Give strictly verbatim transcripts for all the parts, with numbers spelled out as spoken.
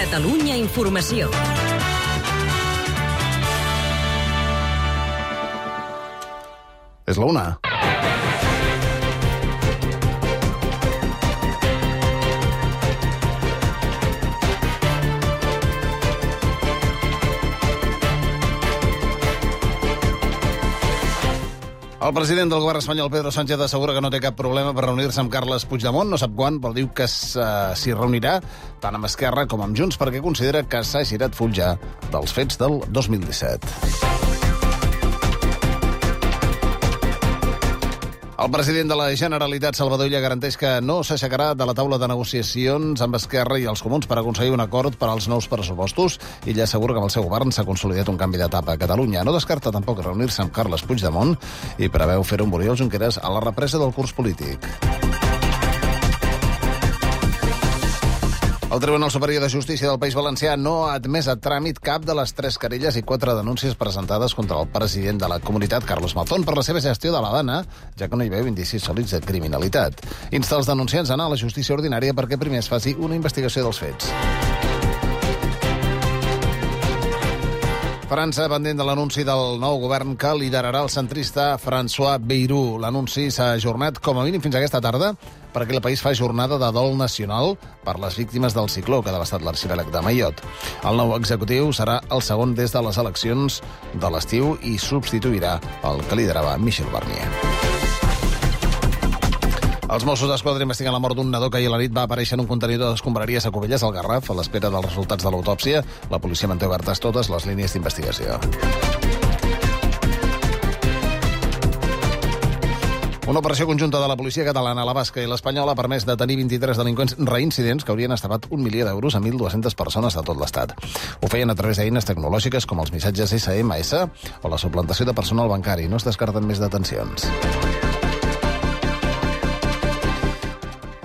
Catalunya Informació. És la una. El president del govern espanyol, Pedro Sánchez, assegura que no té cap problema per reunir-se amb Carles Puigdemont. No sap quan, però diu que s'hi reunirà tant amb Esquerra com amb Junts perquè considera que s'ha girat full ja dels fets del dos mil disset. El president de la Generalitat, Salvador Illa, garanteix que no s'aixecarà de la taula de negociacions amb Esquerra i els comuns per aconseguir un acord per als nous pressupostos. Illa assegura que amb el seu govern s'ha consolidat un canvi d'etapa a Catalunya. No descarta tampoc reunir-se amb Carles Puigdemont i preveu fer-ho amb Oriol Junqueras a la represa del curs polític. El Tribunal Superior de Justícia del País Valencià no ha admès a tràmit cap de les tres querelles i quatre denúncies presentades contra el president de la comunitat, Carlos Mazón, per la seva gestió de la dana, ja que no hi veu indicis sòlids de criminalitat. Insta els denunciants a anar a la justícia ordinària perquè primer es faci una investigació dels fets. França, pendent de l'anunci del nou govern que liderarà el centrista François Bayrou. L'anunci s'ha ajornat com a mínim fins aquesta tarda perquè el país fa jornada de dol nacional per les víctimes del cicló que ha devastat l'arxipèlag de Mayotte. El nou executiu serà el segon des de les eleccions de l'estiu i substituirà el que liderava Michel Barnier. Els Mossos d'Esquadra investiguen la mort d'un nadó que ahir a la nit va aparèixer en un contenidor d'escombraries a Cubelles, al Garraf, a l'espera dels resultats de l'autòpsia. La policia manté obertes totes les línies d'investigació. Una operació conjunta de la policia catalana, la basca i l'espanyola ha permès detenir vint-i-tres delinqüents reincidents que haurien estavat un milió d'euros a mil dues-centes persones de tot l'Estat. Ho feien a través d'eines tecnològiques com els missatges esse eme esse o la suplantació de personal bancari. No es descarten més detencions.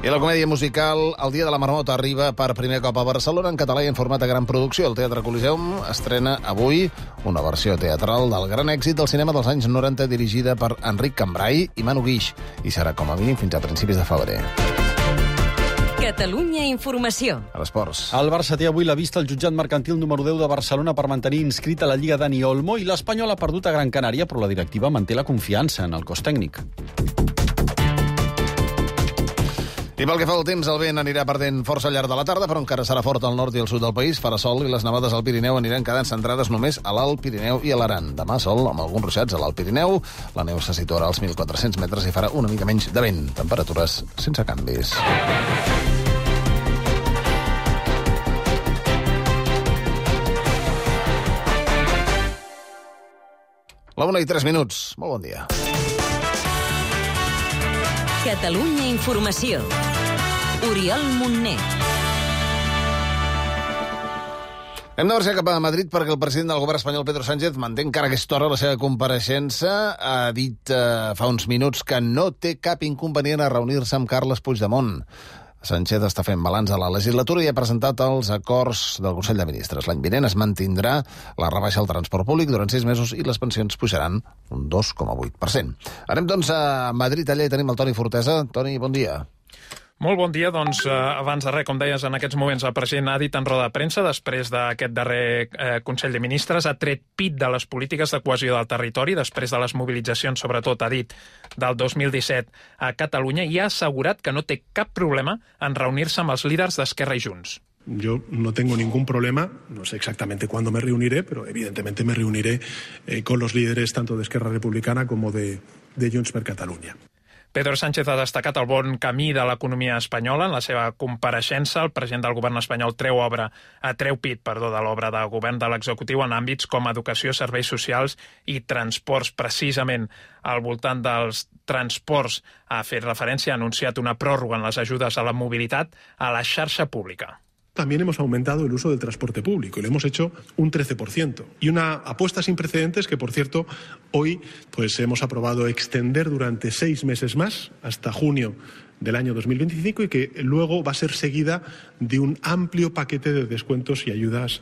I la comèdia musical El dia de la marmota arriba per primer cop a Barcelona en català i en format de gran producció. El Teatre Coliseum estrena avui una versió teatral del gran èxit del cinema dels anys noranta dirigida per Enric Cambrai i Manu Guix i serà com a mínim fins a principis de febrer. Catalunya Informació. A l'Esports. El Barça té avui la vista al jutjat mercantil número deu de Barcelona per mantenir inscrit a la Lliga Dani Olmo i l'Espanyol ha perdut a Gran Canària, però la directiva manté la confiança en el cos tècnic. I pel que fa al temps, el vent anirà perdent força al llarg de la tarda, però encara serà fort al nord i al sud del país. Farà sol i les nevades al Pirineu aniran quedant centrades només a l'Alt Pirineu i a l'Aran. Demà sol amb alguns ruixats a l'Alt Pirineu. La neu se situarà als mil quatre-cents metres i farà una mica menys de vent. Temperatures sense canvis. La una i tres minuts. Molt bon dia. Catalunya Informació. Oriol Montner. Hem de marxar cap a Madrid perquè el president del govern espanyol, Pedro Sánchez, manté encara a aquesta hora la seva compareixença. Ha dit eh, fa uns minuts que no té cap inconvenient a reunir-se amb Carles Puigdemont. Sánchez està fent balanç a la legislatura i ha presentat els acords del Consell de Ministres. L'any vinent es mantindrà la rebaixa al transport públic durant sis mesos i les pensions pujaran un dos coma vuit per cent. Anem, doncs, a Madrid. Allà hi tenim el Toni Fortesa. Toni, bon dia. Molt bon dia. Doncs, eh, abans de res, com deies, en aquests moments el president ha dit en roda de premsa, després d'aquest darrer eh, Consell de Ministres, ha tret pit de les polítiques de cohesió del territori, després de les mobilitzacions, sobretot, ha dit, del dos mil disset a Catalunya, i ha assegurat que no té cap problema en reunir-se amb els líders d'Esquerra i Junts. Yo no tengo ningún problema, no sé exactamente cuándo me reuniré, pero evidentemente me reuniré eh, con los líderes tanto de Esquerra Republicana como de, de Junts per Catalunya. Pedro Sánchez ha destacat el bon camí de l'economia espanyola. En la seva compareixença, el president del govern espanyol treu obra, a treu pit, perdó, de l'obra de govern de l'executiu en àmbits com educació, serveis socials i transports. Precisament al voltant dels transports ha fet referència, ha anunciat una pròrroga en les ajudes a la mobilitat a la xarxa pública. También hemos aumentado el uso del transporte público y lo hemos hecho un trece por ciento. Y una apuesta sin precedentes que, por cierto, hoy pues hemos aprobado extender durante seis meses más, hasta junio del año dos mil veinticinco, y que luego va a ser seguida de un amplio paquete de descuentos y ayudas.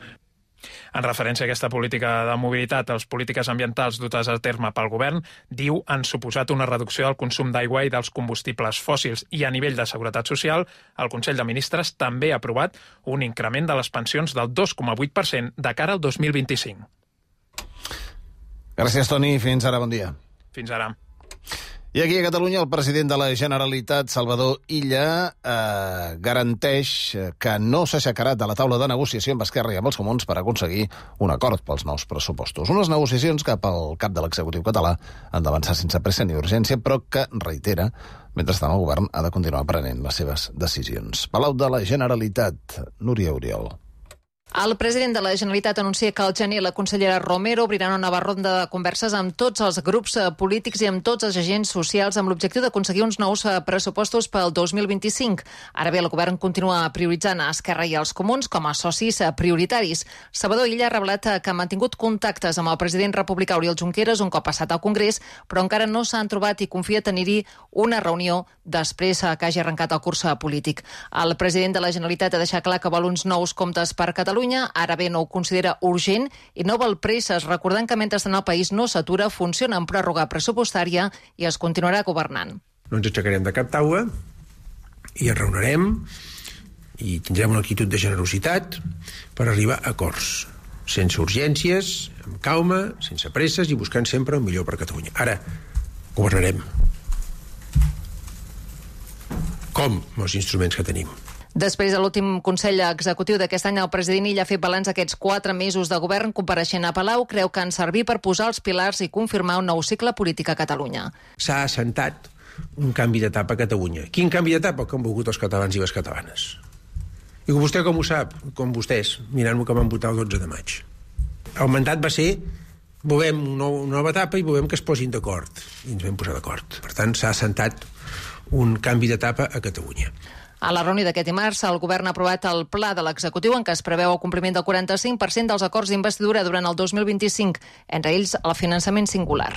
En referència a aquesta política de mobilitat, les polítiques ambientals dutes a terme pel govern, diu, han suposat una reducció del consum d'aigua i dels combustibles fòssils i a nivell de seguretat social, el Consell de Ministres també ha aprovat un increment de les pensions del dos coma vuit per cent de cara al dos mil vint-i-cinc. Gràcies, Toni. Fins ara, bon dia. Fins ara. I aquí a Catalunya el president de la Generalitat, Salvador Illa, eh, garanteix que no s'aixecarà de la taula de negociació amb Esquerra i amb els Comuns per aconseguir un acord pels nous pressupostos. Unes negociacions que pel cap de l'executiu català han d'avançar sense pressa ni urgència, però que, reitera, mentrestant el govern ha de continuar prenent les seves decisions. Palau de la Generalitat, Núria Oriol. El president de la Generalitat anuncia que al gener la consellera Romero obrirà una nova ronda de converses amb tots els grups polítics i amb tots els agents socials amb l'objectiu d'aconseguir uns nous pressupostos pel dos mil vint-i-cinc. Ara bé, el govern continua prioritzant a Esquerra i als Comuns com a socis prioritaris. Salvador Illa ha revelat que ha mantingut contactes amb el president republicà Oriol Junqueras un cop passat al Congrés, però encara no s'han trobat i confia tenir-hi una reunió després que hagi arrencat el curs polític. El president de la Generalitat ha deixat clar que vol uns nous comptes per Catalunya. Ara bé, no ho considera urgent i no vol presses, recordant que mentrestant el país no s'atura, funciona en pròrroga pressupostària i es continuarà governant. No ens aixecarem de cap taula i ens reunirem i tindrem una actitud de generositat per arribar a acords, sense urgències, amb calma, sense presses i buscant sempre el millor per Catalunya. Ara, governarem. Com? Amb els instruments que tenim. Després de l'últim Consell Executiu d'aquest any, el president Illa ha fet balanç aquests quatre mesos de govern. Compareixent a Palau, creu que han servit per posar els pilars i confirmar un nou cicle polític a Catalunya. S'ha assentat un canvi d'etapa a Catalunya. Quin canvi d'etapa? Que han volgut els catalans i les catalanes. I vostè com ho sap? Com vostès, mirant-ho que van votar el dotze de maig. El mandat va ser volem una nova etapa i volem que es posin d'acord. I ens vam posar d'acord. Per tant, s'ha assentat un canvi d'etapa a Catalunya. A la reunió d'aquest dimarts, el govern ha aprovat el pla de l'executiu en què es preveu el compliment del quaranta-cinc per cent dels acords d'investidura durant el dos mil vint-i-cinc, entre ells el finançament singular.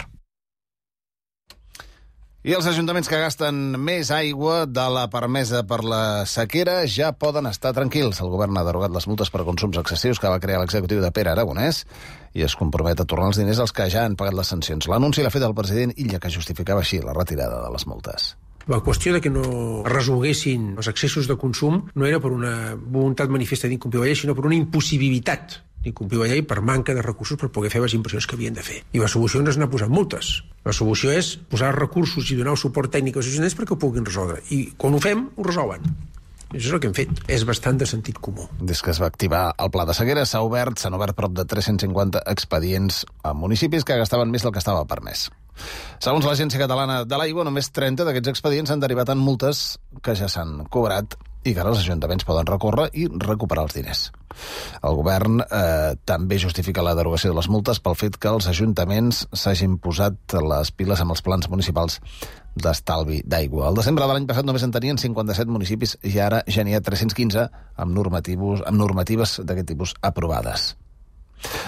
I els ajuntaments que gasten més aigua de la permesa per la sequera ja poden estar tranquils. El govern ha derogat les multes per consums excessius que va crear l'executiu de Pere Aragonès i es compromet a tornar els diners als que ja han pagat les sancions. L'anunci l'ha fet el president Illa, que justificava així la retirada de les multes. La qüestió de que no resolguessin els excessos de consum no era per una voluntat manifesta d'incomplir la llei, sinó per una impossibilitat d'incomplir la llei per manca de recursos per poder fer les inversions que havien de fer. I la solució no és anar posant multes. La solució és posar recursos i donar el suport tècnic als ajuntaments perquè ho puguin resoldre. I quan ho fem, ho resolen. Això és el que hem fet. És bastant de sentit comú. Des que es va activar el pla de sequera, s'ha obert, s'han obert prop de tres-cents cinquanta expedients a municipis que gastaven més del que estava permès. Segons l'Agència Catalana de l'Aigua, només trenta d'aquests expedients han derivat en multes que ja s'han cobrat i que ara els ajuntaments poden recórrer i recuperar els diners. El govern eh, també justifica la derogació de les multes pel fet que els ajuntaments s'hagin posat les piles amb els plans municipals d'estalvi d'aigua. Al desembre de l'any passat només en tenien cinquanta-set municipis i ara ja n'hi ha tres-cents quinze amb, amb normatives d'aquest tipus aprovades.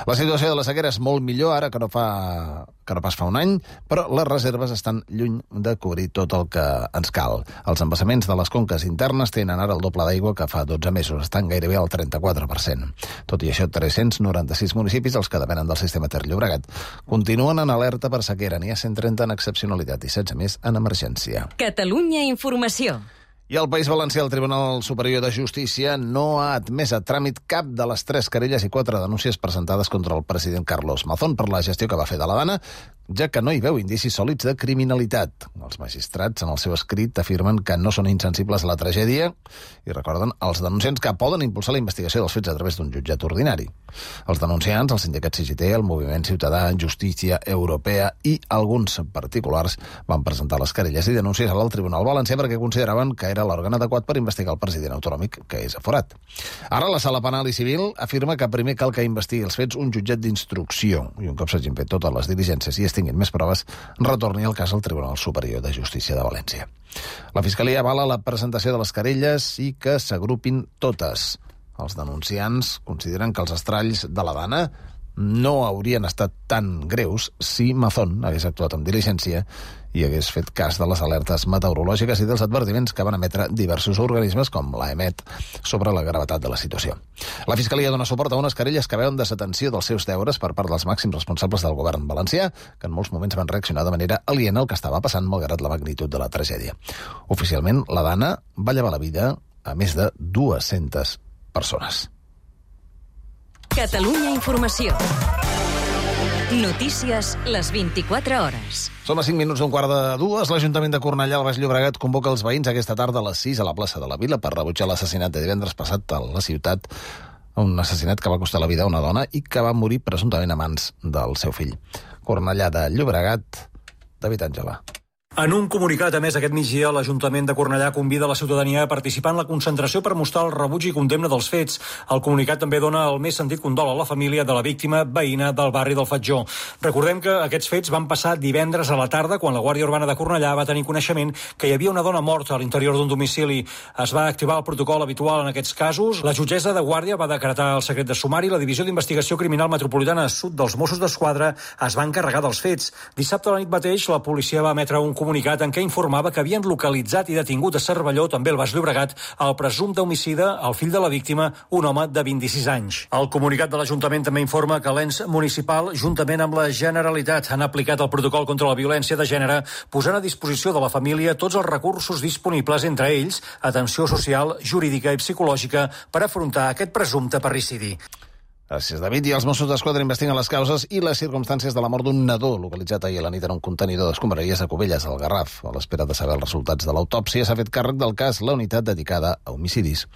La situació de la sequera és molt millor ara que no, fa, que no pas fa un any, però les reserves estan lluny de cobrir tot el que ens cal. Els embassaments de les conques internes tenen ara el doble d'aigua que fa dotze mesos, estan gairebé al trenta-quatre per cent. Tot i això, tres-cents noranta-sis municipis, els que depenen del sistema Ter Llobregat, continuen en alerta per sequera. N'hi ha cent trenta en excepcionalitat i setze més en emergència. Catalunya Informació. I al País Valencià, el Tribunal Superior de Justícia no ha admès a tràmit cap de les tres querelles i quatre denúncies presentades contra el president Carlos Mazón per la gestió que va fer de la Dana, ja que no hi veu indicis sòlids de criminalitat. Els magistrats, en el seu escrit, afirmen que no són insensibles a la tragèdia i recorden als denunciants que poden impulsar la investigació dels fets a través d'un jutjat ordinari. Els denunciants, el sindicat C G T, el Moviment Ciutadà, Justícia Europea i alguns particulars van presentar les querelles i denúncies al Tribunal Valencià perquè consideraven que era l'òrgan adequat per investigar el president autonòmic, que és aforat. Ara la Sala Penal i Civil afirma que primer cal que investigui els fets un jutjat d'instrucció i un cop s'hagin fet totes les diligències i es tinguin més proves, retorni el cas al Tribunal Superior de Justícia de València. La Fiscalia avala la presentació de les querelles i que s'agrupin totes. Els denunciants consideren que els estralls de la Dana no haurien estat tan greus si Mazón hagués actuat amb diligència i hagués fet cas de les alertes meteorològiques i dels advertiments que van emetre diversos organismes com l'A E M E T sobre la gravetat de la situació. La Fiscalia dona suport a unes querelles que veuen desatenció dels seus deures per part dels màxims responsables del govern valencià, que en molts moments van reaccionar de manera aliena al que estava passant malgrat la magnitud de la tragèdia. Oficialment, la Dana va llevar la vida a més de dues-centes persones. Catalunya Informació. Notícies les vint-i-quatre hores. Som a cinc minuts d'un quart de dues. L'Ajuntament de Cornellà, al Baix Llobregat, convoca els veïns aquesta tarda a les sis a la plaça de la Vila per rebutjar l'assassinat de divendres passat a la ciutat, un assassinat que va costar la vida a una dona i que va morir presumptament a mans del seu fill. Cornellà de Llobregat, David Àngela. En un comunicat emès aquest migdia, l'Ajuntament de Cornellà convida la ciutadania a participar en la concentració per mostrar el rebuig i condemna dels fets. El comunicat també dona el més sentit condol a la família de la víctima veïna del barri del Fatjó. Recordem que aquests fets van passar divendres a la tarda quan la Guàrdia Urbana de Cornellà va tenir coneixement que hi havia una dona morta a l'interior d'un domicili. Es va activar el protocol habitual en aquests casos. La jutgessa de Guàrdia va decretar el secret de sumari i la Divisió d'Investigació Criminal Metropolitana Sud dels Mossos d'Esquadra es va encarregar dels fets. Dissabte a la nit mateix, la policia va emetre un comunicat en què informava que havien localitzat i detingut a Cervelló, també al Baix Llobregat, el presumpte homicida, el fill de la víctima, un home de vint-i-sis anys. El comunicat de l'Ajuntament també informa que l'ens municipal, juntament amb la Generalitat, han aplicat el protocol contra la violència de gènere, posant a disposició de la família tots els recursos disponibles, entre ells atenció social, jurídica i psicològica, per afrontar aquest presumpte parricidi. Gràcies, David. I els Mossos d'Esquadra investiguen les causes i les circumstàncies de la mort d'un nadó localitzat ahir a la nit en un contenidor d'escombraries a Cubelles, al Garraf. A l'espera de saber els resultats de l'autòpsia, s'ha fet càrrec del cas la unitat dedicada a homicidis.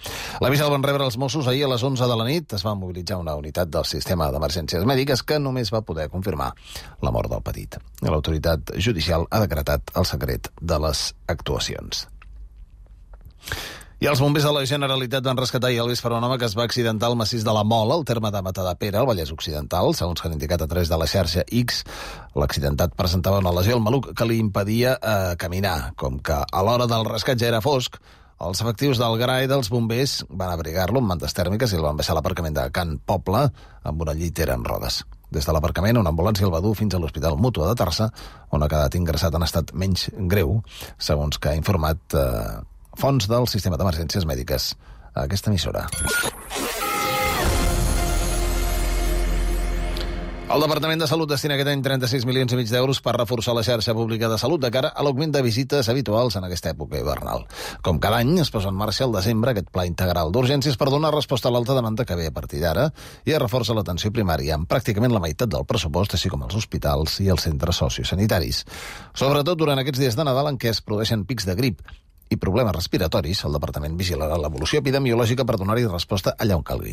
L'avís el van rebre els Mossos ahir a les onze de la nit. Es va mobilitzar una unitat del sistema d'emergències mèdiques que només va poder confirmar la mort del petit. L'autoritat judicial ha decretat el secret de les actuacions. I els bombers de la Generalitat van rescatar ahir el vespre un home que es va accidentar al massís de la Mola, al terme de Matadepera, al Vallès Occidental. Segons que han indicat a través de la xarxa X, l'accidentat presentava una lesió al maluc que li impedia eh, caminar. Com que a l'hora del rescat ja era fosc, els efectius del G R A i dels bombers van abrigar-lo amb mantes tèrmiques i el van baixar a l'aparcament de Can Poble amb una llitera en rodes. Des de l'aparcament, una ambulància el va dur fins a l'Hospital Mútua de Tarrasa, on ha quedat ingressat en estat menys greu, segons que ha informat eh, fonts del sistema d'emergències mèdiques a aquesta emissora. El Departament de Salut destina aquest any trenta-sis milions i mig d'euros per reforçar la xarxa pública de salut de cara a l'augment de visites habituals en aquesta època hivernal. Com cada any, es posa en marxa al desembre aquest pla integral d'urgències per donar resposta a l'alta demanda que ve a partir d'ara i es reforça l'atenció primària amb pràcticament la meitat del pressupost, així com els hospitals i els centres sociosanitaris. Sobretot durant aquests dies de Nadal en què es produeixen pics de grip i problemes respiratoris, el Departament vigilarà l'evolució epidemiològica per donar-hi resposta allà on calgui.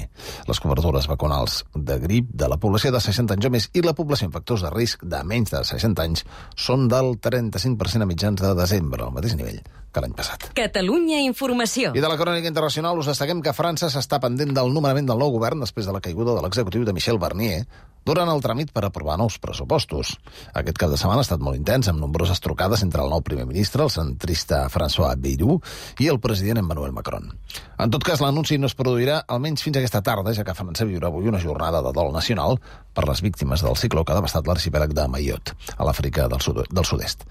Les cobertures vacunals de grip de la població de seixanta anys o més i la població amb factors de risc de menys de seixanta anys són del trenta-cinc per cent a mitjans de desembre, al mateix nivell que l'any passat. Catalunya Informació. I de la crònica internacional us destaquem que França s'està pendent del nomenament del nou govern després de la caiguda de l'executiu de Michel Barnier durant el tràmit per aprovar nous pressupostos. Aquest cap de setmana ha estat molt intens, amb nombroses trucades entre el nou primer ministre, el centrista François Bayrou, i el president Emmanuel Macron. En tot cas, l'anunci no es produirà almenys fins aquesta tarda, ja que França viurà avui una jornada de dol nacional per les víctimes del cicló que ha devastat l'arxipèlag de Mayotte, a l'Àfrica del sud del sud-est.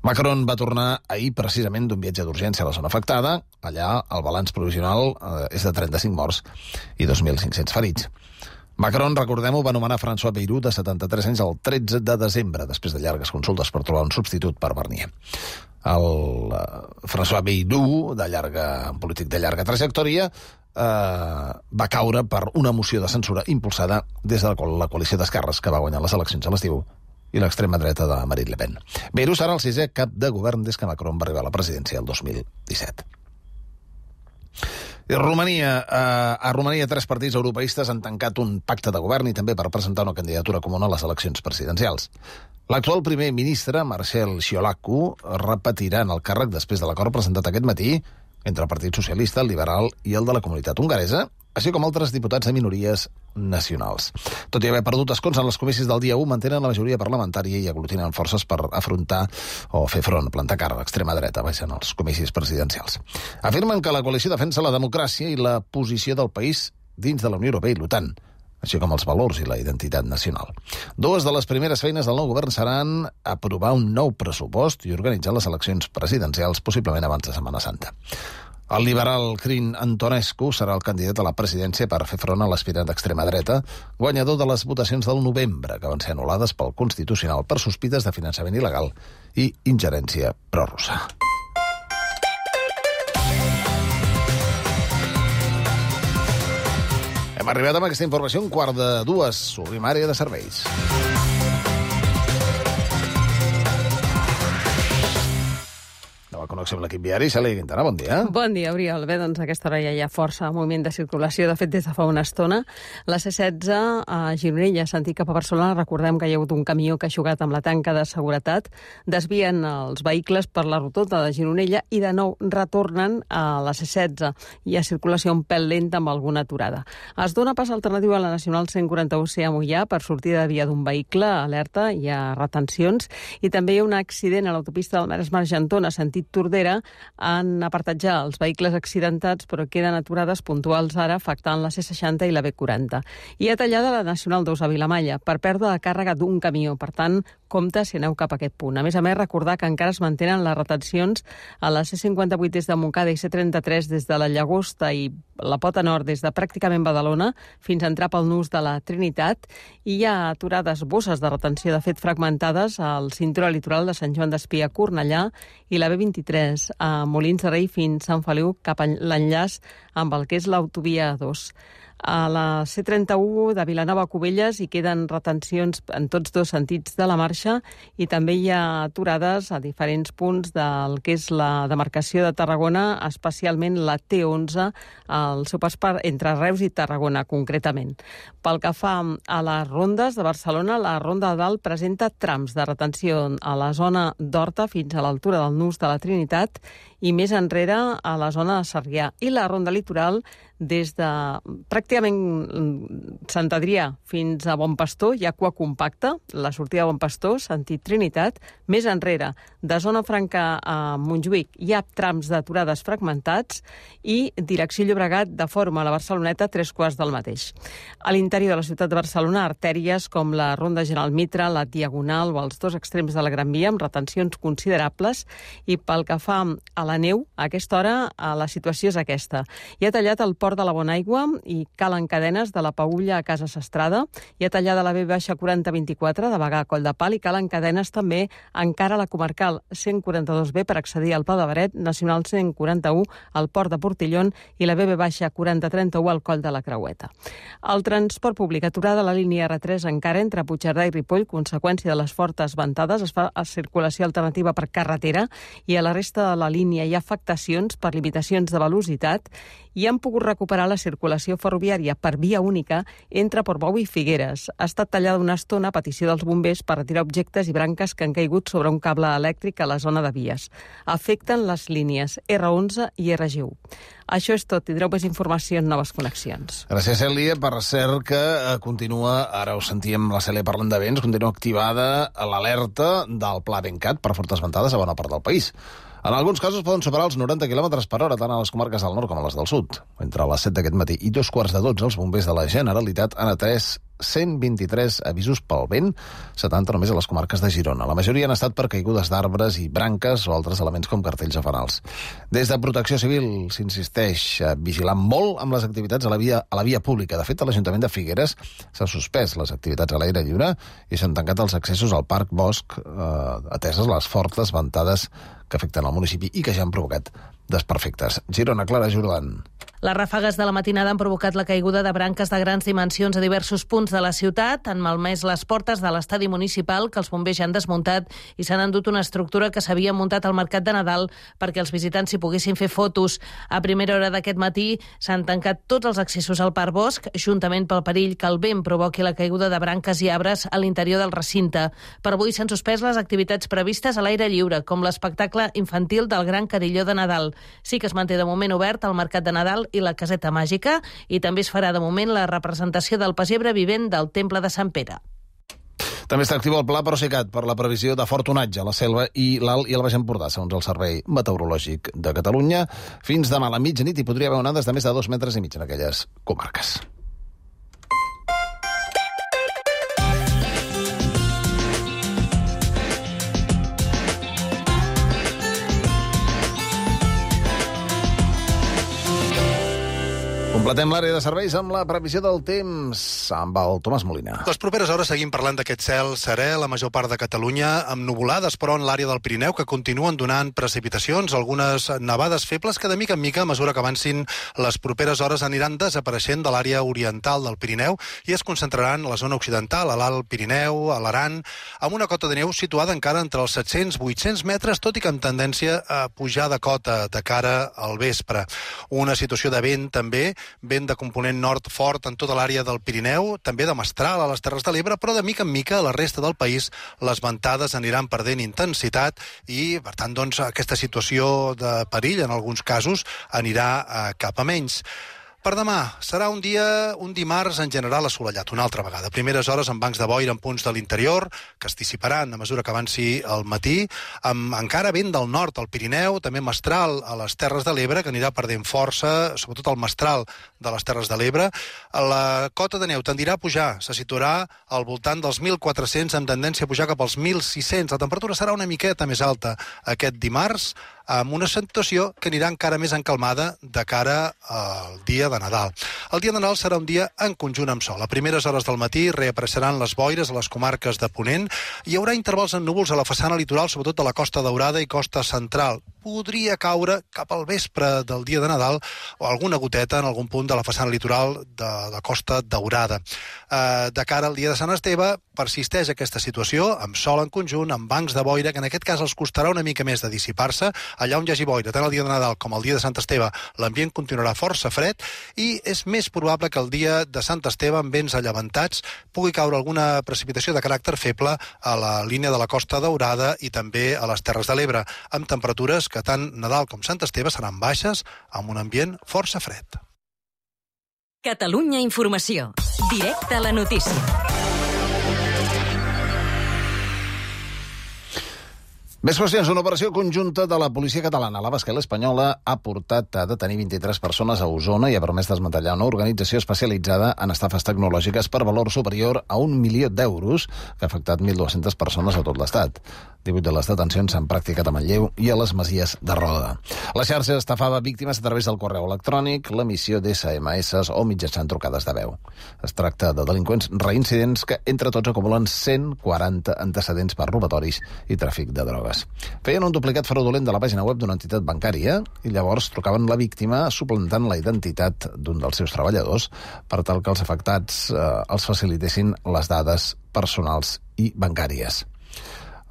Macron va tornar ahir precisament d'un viatge d'urgència a la zona afectada. Allà el balanç provisional eh, és de trenta-cinc morts i dos mil cinc-cents ferits. Macron, recordem-ho, va nomenar François Bayrou, de setanta-tres anys, el tretze de desembre, després de llargues consultes per trobar un substitut per Barnier. El uh, François Bayrou, de llarga, un polític de llarga trajectòria, uh, va caure per una moció de censura impulsada des de la coalició d'esquerres que va guanyar les eleccions a l'estiu i l'extrema dreta de Marine Le Pen. Bayrou serà el sisè cap de govern des que Macron va arribar a la presidència el dos mil disset. I Romania, eh, a Romania tres partits europeistes han tancat un pacte de govern i també per presentar una candidatura comuna a les eleccions presidencials. L'actual primer ministre, Marcel Ciolacu, repetirà en el càrrec després de l'acord presentat aquest matí entre el Partit Socialista, el Liberal i el de la Comunitat Hongaresa, així com altres diputats de minories nacionals. Tot i haver perdut escons en les comicis del dia u, mantenen la majoria parlamentària i aglutinen forces per afrontar o fer front, plantar cara a l'extrema dreta, baixant els comicis presidencials. Afirmen que la coalició defensa la democràcia i la posició del país dins de la Unió Europea i l'OTAN. així com els valors i la identitat nacional. Dues de les primeres feines del nou govern seran aprovar un nou pressupost i organitzar les eleccions presidencials, possiblement abans de Setmana Santa. El liberal Crin Antonescu serà el candidat a la presidència per fer front a l'aspirant d'extrema dreta, guanyador de les votacions del novembre, que van ser anul·lades pel Constitucional per sospites de finançament il·legal i ingerència prorussa. Hem arribat amb aquesta informació un quart de dues. Obrim àrea de serveis. Nova connexió amb l'equip viari. Cèlia Quintana, bon dia. Bon dia, Oriol. Bé, doncs a aquesta hora ja hi ha força moviment de circulació. De fet, des de fa una estona, la C setze a Gironella, sentit cap a Barcelona, recordem que hi ha hagut un camió que ha xugat amb la tanca de seguretat, desvien els vehicles per la rotonda de Gironella i de nou retornen a la C setze. Hi ha circulació un pèl lenta amb alguna aturada. Es dona pas alternatiu a la Nacional cent quaranta-u C a Moià per sortir de via d'un vehicle, alerta, hi ha retencions, i també hi ha un accident a l'autopista del Maresme-Argentona, sentit Tordera, han apartat ja els vehicles accidentats, però queden aturades puntuals ara, afectant la C seixanta i la B quaranta. Hi ha tallada la Nacional dos a Vilamalla per pèrdua de càrrega d'un camió, per tant, compte si aneu cap a aquest punt. A més a més, recordar que encara es mantenen les retencions a la C cinquanta-vuit des de Montcada i C trenta-tres des de la Llagosta i la Pota Nord des de pràcticament Badalona fins a entrar pel nus de la Trinitat, i hi ha aturades bosses de retenció, de fet fragmentades, al cinturó litoral de Sant Joan d'Espí a Cornellà i la B vint-i-tres a Molins de Rei fins a Sant Feliu cap a l'enllaç amb el que és l'autovia dos. A la C trenta-u de Vilanova a Cubelles hi queden retencions en tots dos sentits de la marxa i també hi ha aturades a diferents punts del que és la demarcació de Tarragona, especialment la T onze, al seu pas per entre Reus i Tarragona, concretament. Pel que fa a les rondes de Barcelona, la Ronda de Dalt presenta trams de retenció a la zona d'Horta fins a l'altura del nus de la Trinitat i més enrere a la zona de Sarrià. I la Ronda Litoral des de pràcticament Sant Adrià fins a Bon Pastor hi ha cua compacta, la sortida de Bon Pastor, sentit Trinitat. Més enrere, de Zona Franca a Montjuïc, hi ha trams d'aturades fragmentats i direcció Llobregat de Fòrum a la Barceloneta, tres quarts del mateix. A l'interior de la ciutat de Barcelona, artèries com la Ronda General Mitra, la Diagonal o els dos extrems de la Gran Via amb retencions considerables, i pel que fa a la neu, a aquesta hora la situació és aquesta. Hi ha tallat el port de la Bonaigua i calen cadenes de la Paülla a Casa Sastrada. Hi ha tallada la B quaranta vint-i-quatre de Bagà a Coll de Pal i calen cadenes també encara a la comarcal cent quaranta-dos B per accedir al Pla de Beret, Nacional cent quaranta-u al port de Portillon i la B quaranta trenta-u al Coll de la Creueta. El transport públic aturada a la línia R tres encara entre Puigcerdà i Ripoll, conseqüència de les fortes ventades, es fa a circulació alternativa per carretera i a la resta de la línia hi ha afectacions per limitacions de velocitat i han pogut recuperar la circulació ferroviària per via única entre Portbou i Figueres. Ha estat tallada una estona a petició dels bombers per retirar objectes i branques que han caigut sobre un cable elèctric a la zona de vies. Afecten les línies R onze i R G u. Això és tot. Tindreu més informació en Noves Connexions. Gràcies, Cèlia. Per cert que continua, ara ho sentíem la Cèlia parlant de vents, continua activada l'alerta del Pla Bencat per fortes ventades a bona part del país. En alguns casos poden superar els noranta quilòmetres per hora, tant a les comarques del nord com a les del sud. Entre les set d'aquest matí i dos quarts de dotze, els bombers de la Generalitat han atès cent vint-i-tres avisos pel vent, setanta només a les comarques de Girona. La majoria han estat per caigudes d'arbres i branques o altres elements com cartells a fanals. Des de Protecció Civil s'insisteix a vigilar molt amb les activitats a la via, a la via pública. De fet, a l'Ajuntament de Figueres s'ha suspès les activitats a l'aire lliure i s'han tancat els accessos al Parc Bosc, eh, ateses les fortes ventades que afecten el municipi i que ja han provocat desperfectes. Girona, Clara Jordan. Les ràfegues de la matinada han provocat la caiguda de branques de grans dimensions a diversos punts de la ciutat, han malmès les portes de l'estadi municipal, que els bombers ja han desmuntat, i s'han endut una estructura que s'havia muntat al Mercat de Nadal perquè els visitants s'hi poguessin fer fotos. A primera hora d'aquest matí s'han tancat tots els accessos al Parc Bosc, juntament pel perill que el vent provoqui la caiguda de branques i arbres a l'interior del recinte. Per avui s'han suspès les activitats previstes a l'aire lliure, com l'espectacle infantil del Gran Carilló de Nadal. Sí que es manté de moment obert el Mercat de Nadal i la Caseta Màgica, i també es farà de moment la representació del pessebre vivent del Temple de Sant Pere. També està actiu el Pla Procicat per la previsió de fort onatge a la Selva i l'Alt i el Baix Empordà, segons el Servei Meteorològic de Catalunya. Fins demà a la mitjanit hi podria haver onades de més de dos metres i mig en aquelles comarques. Completem l'àrea de serveis amb la previsió del temps amb el Tomàs Molina. Les properes hores seguim parlant d'aquest cel serè, la major part de Catalunya, amb nuvolades, però en l'àrea del Pirineu, que continuen donant precipitacions, algunes nevades febles que de mica en mica, a mesura que avancin les properes hores, aniran desapareixent de l'àrea oriental del Pirineu i es concentraran a la zona occidental, a l'Alt Pirineu, a l'Aran, amb una cota de neu situada encara entre els set-cents i vuit-cents metres, tot i que amb tendència a pujar de cota de cara al vespre. Una situació de vent, també, vent de component nord fort en tota l'àrea del Pirineu, també de mestral a les Terres de l'Ebre, però de mica en mica a la resta del país les ventades aniran perdent intensitat i, per tant, doncs, aquesta situació de perill, en alguns casos, anirà eh, cap a menys. Per demà serà un dia, un dimarts en general assolellat, una altra vegada. Primeres hores amb bancs de boira en punts de l'interior, que es dissiparan a mesura que avanci el matí, amb encara vent del nord al Pirineu, també mestral a les Terres de l'Ebre, que anirà perdent força, sobretot el mestral de les Terres de l'Ebre. La cota de neu tendirà a pujar, se situarà al voltant dels mil quatre-cents, amb tendència a pujar cap als mil sis-cents. La temperatura serà una miqueta més alta aquest dimarts, amb una situació que anirà encara més encalmada de cara al dia de Nadal. El dia de Nadal serà un dia en conjunt amb sol. A primeres hores del matí reapareixeran les boires a les comarques de Ponent. Hi haurà intervals en núvols a la façana litoral, sobretot a la Costa Daurada i Costa Central. Podria caure cap al vespre del dia de Nadal o alguna goteta en algun punt de la façana litoral de la Costa Daurada. Eh, de cara al dia de Sant Esteve persisteix aquesta situació, amb sol en conjunt, amb bancs de boira, que en aquest cas els costarà una mica més de dissipar-se. Allà on hi hagi boira, tant el dia de Nadal com el dia de Sant Esteve, l'ambient continuarà força fred i és més probable que el dia de Sant Esteve, amb vents allevantats, pugui caure alguna precipitació de caràcter feble a la línia de la Costa Daurada i també a les Terres de l'Ebre, amb temperatures que tant Nadal com Sant Esteve seran baixes, amb un ambient força fred. Catalunya Informació. Directe a la notícia. Més qüestions. Una operació conjunta de la policia catalana, la basca i l'espanyola, ha portat a detenir vint-i-tres persones a Osona i ha permès desmantellar una organització especialitzada en estafes tecnològiques per valor superior a un milió d'euros, que ha afectat mil dues-centes persones a tot l'estat. divuit de les detencions s'han practicat a Manlleu i a les Masies de Roda. La xarxa estafava víctimes a través del correu electrònic, l'emissió d'esse eme esse o mitjançant trucades de veu. Es tracta de delinqüents reincidents que, entre tots, acumulen cent quaranta antecedents per robatoris i tràfic de drogues. Feien un duplicat fraudulent de la pàgina web d'una entitat bancària i llavors trucaven la víctima suplantant la identitat d'un dels seus treballadors per tal que els afectats eh, els facilitessin les dades personals i bancàries.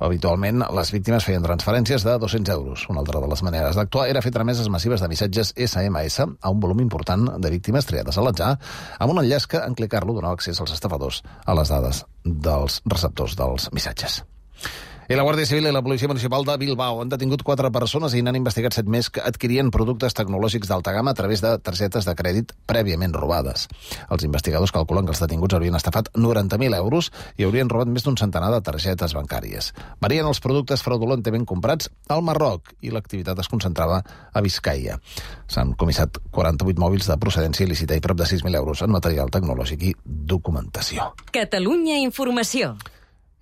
Habitualment, les víctimes feien transferències de dos-cents euros. Una altra de les maneres d'actuar era fer trameses massives de missatges esse eme esse a un volum important de víctimes triades a l'atzar, amb un enllaç que, en clicar-lo, donava accés als estafadors a les dades dels receptors dels missatges. I la Guàrdia Civil i la Policia Municipal de Bilbao han detingut quatre persones i n'han investigat set més que adquirien productes tecnològics d'alta gamma a través de targetes de crèdit prèviament robades. Els investigadors calculen que els detinguts haurien estafat noranta mil euros i haurien robat més d'un centenar de targetes bancàries. Varien els productes fraudulentament comprats al Marroc i l'activitat es concentrava a Biscaia. S'han comissat quaranta-vuit mòbils de procedència il·lícita i prop de sis mil euros en material tecnològic i documentació. Catalunya Informació.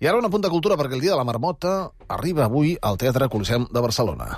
I ara un apunt de cultura, perquè el Dia de la Marmota arriba avui al Teatre Coliseum de Barcelona.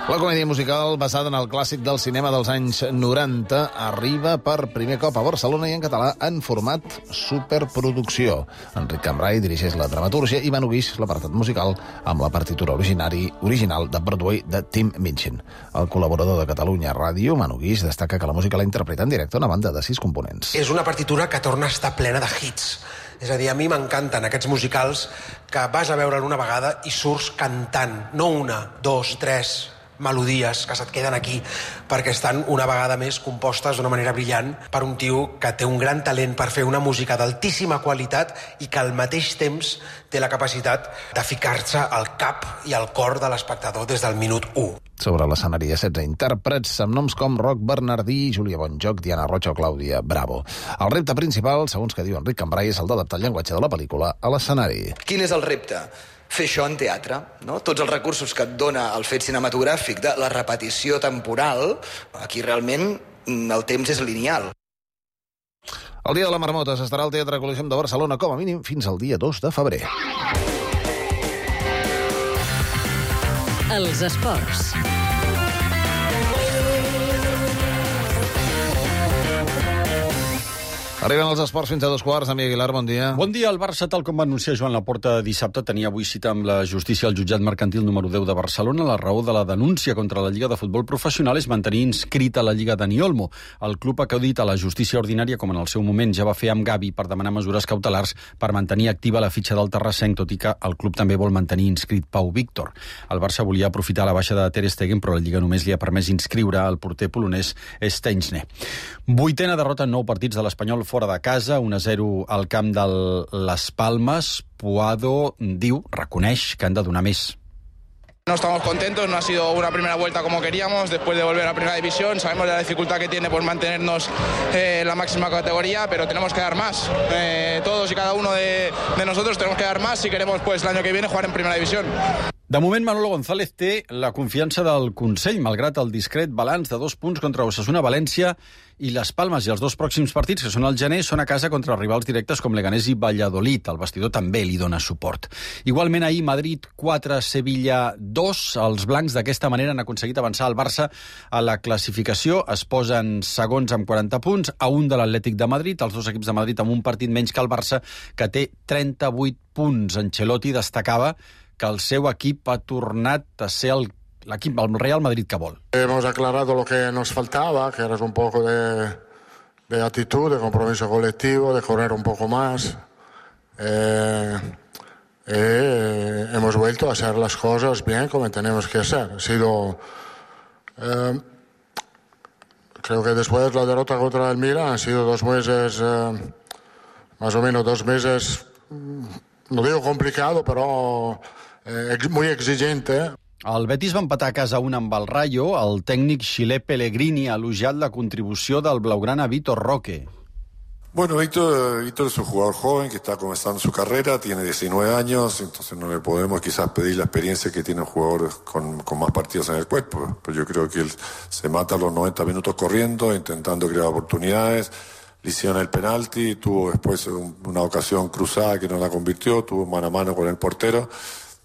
La comèdia musical, basada en el clàssic del cinema dels anys noranta, arriba per primer cop a Barcelona i en català en format superproducció. Enric Cambray dirigeix la dramatúrgia i Manu Guix l'apartat musical amb la partitura originari, original de Broadway de Tim Minchin. El col·laborador de Catalunya Ràdio, Manu Guix, destaca que la música la interpreta en directe una banda de sis components. És una partitura que torna a estar plena de hits. És a dir, a mi m'encanten aquests musicals que vas a veure'l una vegada i surts cantant, no una, dos, tres melodies que se't queden aquí, perquè estan una vegada més compostes d'una manera brillant per un tio que té un gran talent per fer una música d'altíssima qualitat i que al mateix temps té la capacitat de ficar-se al cap i al cor de l'espectador des del minut u. Sobre l'escenari hi ha setze intèrprets amb noms com Roc Bernardí, Júlia Bonjoc, Diana Rocha o Clàudia Bravo. El repte principal, segons que diu Enric Cambray, és el d'adaptar el llenguatge de la pel·lícula a l'escenari. Quin és el repte? Fer això en teatre, no? Tots els recursos que et dona el fet cinematogràfic de la repetició temporal, aquí realment el temps és lineal. El Dia de la Marmota s'estarà al Teatre Coliseum de Barcelona com a mínim fins al dia dos de febrer. Els esports. Arriben els esports fins a dos quarts. Amic Aguilar, bon dia. Bon dia. El Barça, tal com va anunciar Joan Laporta dissabte, tenia avui cita amb la justícia al jutjat mercantil número deu de Barcelona. La raó de la denúncia contra la Lliga de Futbol Professional és mantenir inscrita la Lliga Dani Olmo. El club ha acudit a la justícia ordinària, com en el seu moment ja va fer amb Gavi, per demanar mesures cautelars per mantenir activa la fitxa del terrassenc, tot i que el club també vol mantenir inscrit Pau Víctor. El Barça volia aprofitar la baixa de Ter Stegen, però la Lliga només li ha permès inscriure el porter polonès Szczęsny. Vuitena derrota en nou partits de l'Espanyol fora de casa, un a zero al camp de Las Palmas. Puado diu, reconeix que han de donar més. No estamos contentos, no ha sido una primera vuelta como queríamos después de volver a primera división. Sabemos de la dificultad que tiene por mantenernos eh, en la máxima categoría, pero tenemos que dar más. Eh, todos y cada uno de, de nosotros tenemos que dar más si queremos pues el año que viene jugar en primera división. De moment, Manolo González té la confiança del Consell, malgrat el discret balanç de dos punts contra Osasuna, València i Les Palmes. I els dos pròxims partits, que són al gener, són a casa contra rivals directes com Leganés i Valladolid. El vestidor també li dona suport. Igualment, ahir, Madrid quatre, Sevilla dos. Els blancs d'aquesta manera han aconseguit avançar el Barça a la classificació. Es posen segons amb quaranta punts, a un de l'Atlètic de Madrid. Els dos equips de Madrid amb un partit menys que el Barça, que té trenta-vuit punts. Ancelotti destacava que el seu equip ha tornat a ser el, l'equip, el Real Madrid que vol. Hemos aclarado lo que nos faltaba, que era un poco de, de actitud, de compromiso colectivo, de correr un poco más. Eh, eh, hemos vuelto a hacer las cosas bien como tenemos que hacer. Ha sido... Eh, creo que después de la derrota contra el Milan han sido dos meses, eh, más o menos dos meses, no digo complicado, pero... Eh, muy exigente. El Betis va empatar a casa un amb el Rayo. El tècnic xilè Pellegrini ha elogiat la contribució del blaugrana Vitor Roque. Bueno, Víctor, Víctor es un jugador joven que está comenzando su carrera, tiene diecinueve años, entonces no le podemos quizás pedir la experiencia que tiene un jugador con, con más partidos en el cuerpo, pero yo creo que él se mata los noventa minutos corriendo, intentando crear oportunidades. Le hicieron el penalti, tuvo después una ocasión cruzada que no la convirtió, tuvo mano a mano con el portero.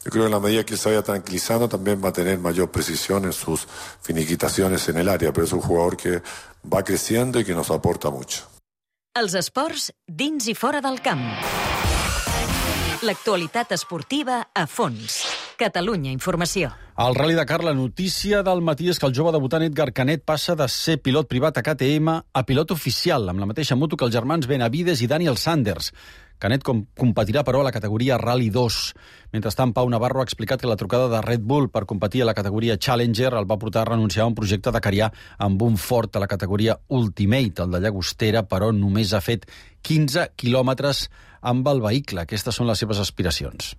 Yo creo que en la medida que él se vaya tranquilizando también va a tener mayor precisión en sus finiquitaciones en el área, pero es un jugador que va creciendo y que nos aporta mucho. Els esports dins i fora del camp. L'actualitat esportiva a fons. Catalunya Informació. Al Rally Dakar, la notícia del matí és que el jove debutant Edgar Canet passa de ser pilot privat a K T M a pilot oficial, amb la mateixa moto que els germans Benavides i Daniel Sanders. Canet com competirà, però, a la categoria Rally dos. Mentrestant, Pau Navarro ha explicat que la trucada de Red Bull per competir a la categoria Challenger el va portar a renunciar a un projecte dakarià amb un Ford a la categoria Ultimate, el de Llagostera, però només ha fet quinze quilòmetres amb el vehicle. Aquestes són les seves aspiracions.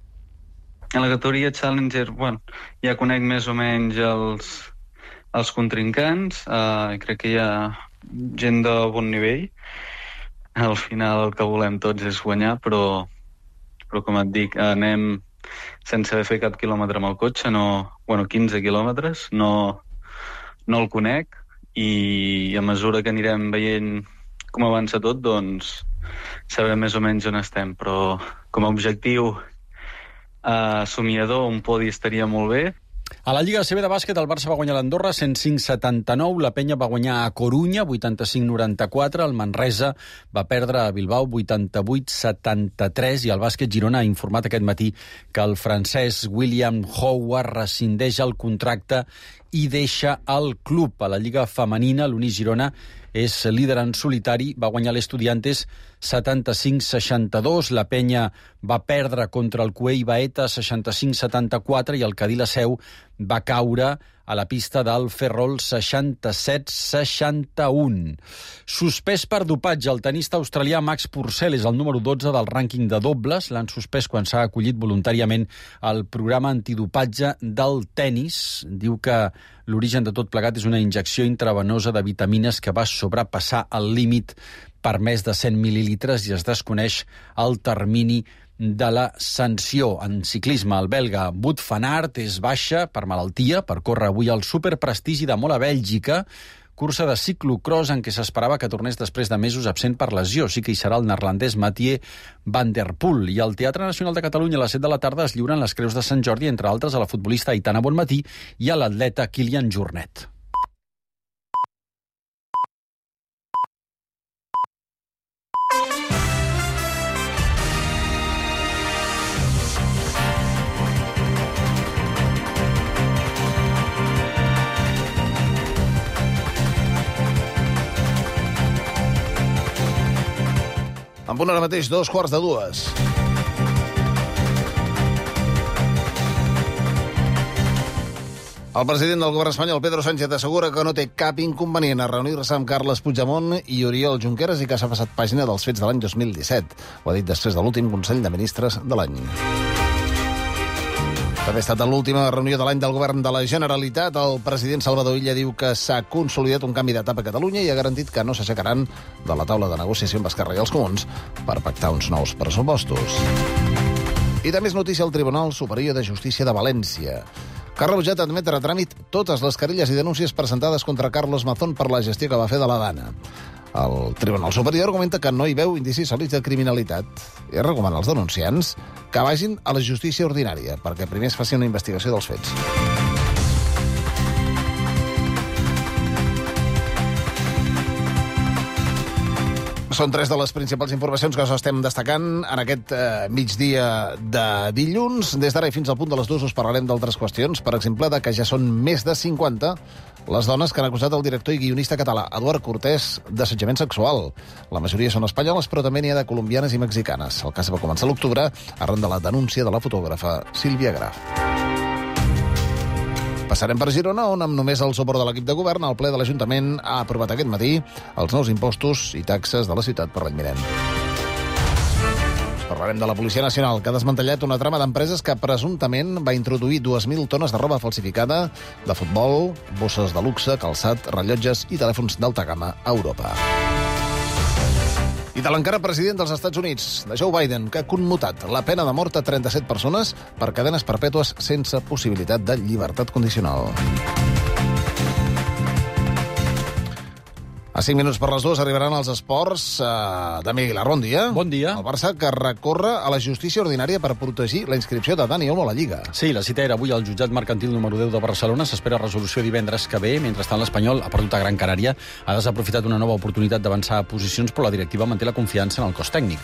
En la categoria Challenger, bueno, ja conec més o menys els, els contrincants, uh, crec que hi ha gent de bon nivell. Al final el que volem tots és guanyar, però, però com et dic, anem sense haver fet cap quilòmetre amb el cotxe, no, bueno, quinze quilòmetres, no, no el conec, i a mesura que anirem veient com avança tot, doncs sabrem més o menys on estem, però com a objectiu Uh, somiador, un podi estaria molt bé. A la Lliga A C B de bàsquet, el Barça va guanyar l'Andorra cent cinc setanta-nou, la Penya va guanyar a Corunya vuitanta-cinc noranta-quatre, el Manresa va perdre a Bilbao vuitanta-vuit setanta-tres i el bàsquet Girona ha informat aquest matí que el francès William Howard rescindeix el contracte i deixa el club. A la Lliga Femenina, l'Uni Girona és líder en solitari, va guanyar l'Estudiantes setanta-cinc seixanta-dos, la Penya va perdre contra el Cuey Baeta seixanta-cinc setanta-quatre i el Cadí la Seu va caure a la pista del Ferrol seixanta-set seixanta-un. Suspès per dopatge, el tenista australià Max Purcell és el número dotze del rànquing de dobles. L'han suspès quan s'ha acollit voluntàriament al programa antidopatge del tennis. Diu que l'origen de tot plegat és una injecció intravenosa de vitamines que va sobrepassar el límit per més de cent mil·lilitres i es desconeix el termini de la sanció. En ciclisme, el belga Wout van Aert és baixa per malaltia, per córrer avui al superprestigi de molt a Bèlgica, cursa de ciclocross en què s'esperava que tornés després de mesos absent per lesió. Sí que hi serà el neerlandès Mathieu van der Poel. I al Teatre Nacional de Catalunya a les set de la tarda es lliuren les Creus de Sant Jordi, entre altres a la futbolista Aitana Bonmatí i a l'atleta Kilian Jornet. En punt ara mateix, dos quarts de dues. El president del govern espanyol, Pedro Sánchez, assegura que no té cap inconvenient a reunir-se amb Carles Puigdemont i Oriol Junqueras i que s'ha passat pàgina dels fets de l'any dos mil disset. Ho ha dit després de l'últim Consell de Ministres de l'any. També ha estat l'última reunió de l'any del govern de la Generalitat. El president Salvador Illa diu que s'ha consolidat un canvi d'etapa a Catalunya i ha garantit que no s'aixecaran de la taula de negociació amb Esquerra i els Comuns per pactar uns nous pressupostos. I també és notícia al Tribunal Superior de Justícia de València, que ha rebutjat admetre a tràmit totes les querelles i denúncies presentades contra Carlos Mazón per la gestió que va fer de la Dana. El Tribunal Superior argumenta que no hi veu indicis sòlids de criminalitat i recomana als denunciants que vagin a la justícia ordinària perquè primer es faci una investigació dels fets. Són tres de les principals informacions que us estem destacant en aquest eh, migdia de dilluns. Des d'ara i fins al punt de les dues us parlarem d'altres qüestions, per exemple, de que ja són més de cinquanta les dones que han acusat el director i guionista català Eduard Cortés d'assetjament sexual. La majoria són espanyoles, però també n'hi ha de colombianes i mexicanes. El cas va començar a l'octubre arran de la denúncia de la fotògrafa Sílvia Graf. Passarem per Girona, on amb només el suport de l'equip de govern, el ple de l'Ajuntament ha aprovat aquest matí els nous impostos i taxes de la ciutat per l'any vinent. Parlarem de la Policia Nacional, que ha desmantellat una trama d'empreses que presumptament va introduir dues mil tones de roba falsificada de futbol, bosses de luxe, calçat, rellotges i telèfons d'alta gamma a Europa. I de l'encara president dels Estats Units, de Joe Biden, que ha commutat la pena de mort a trenta-set persones per cadenes perpètues sense possibilitat de llibertat condicional. A cinc minuts per les dues arribaran els esports. Uh, Dami Aguilar, bon dia. Bon dia. El Barça que recorre a la justícia ordinària per protegir la inscripció de Dani Olmo a la Lliga. Sí, la cita era avui al jutjat mercantil número deu de Barcelona. S'espera resolució divendres que ve. Mentrestant, l'Espanyol ha perdut a Gran Canària. Ha desaprofitat una nova oportunitat d'avançar a posicions, però la directiva manté la confiança en el cos tècnic.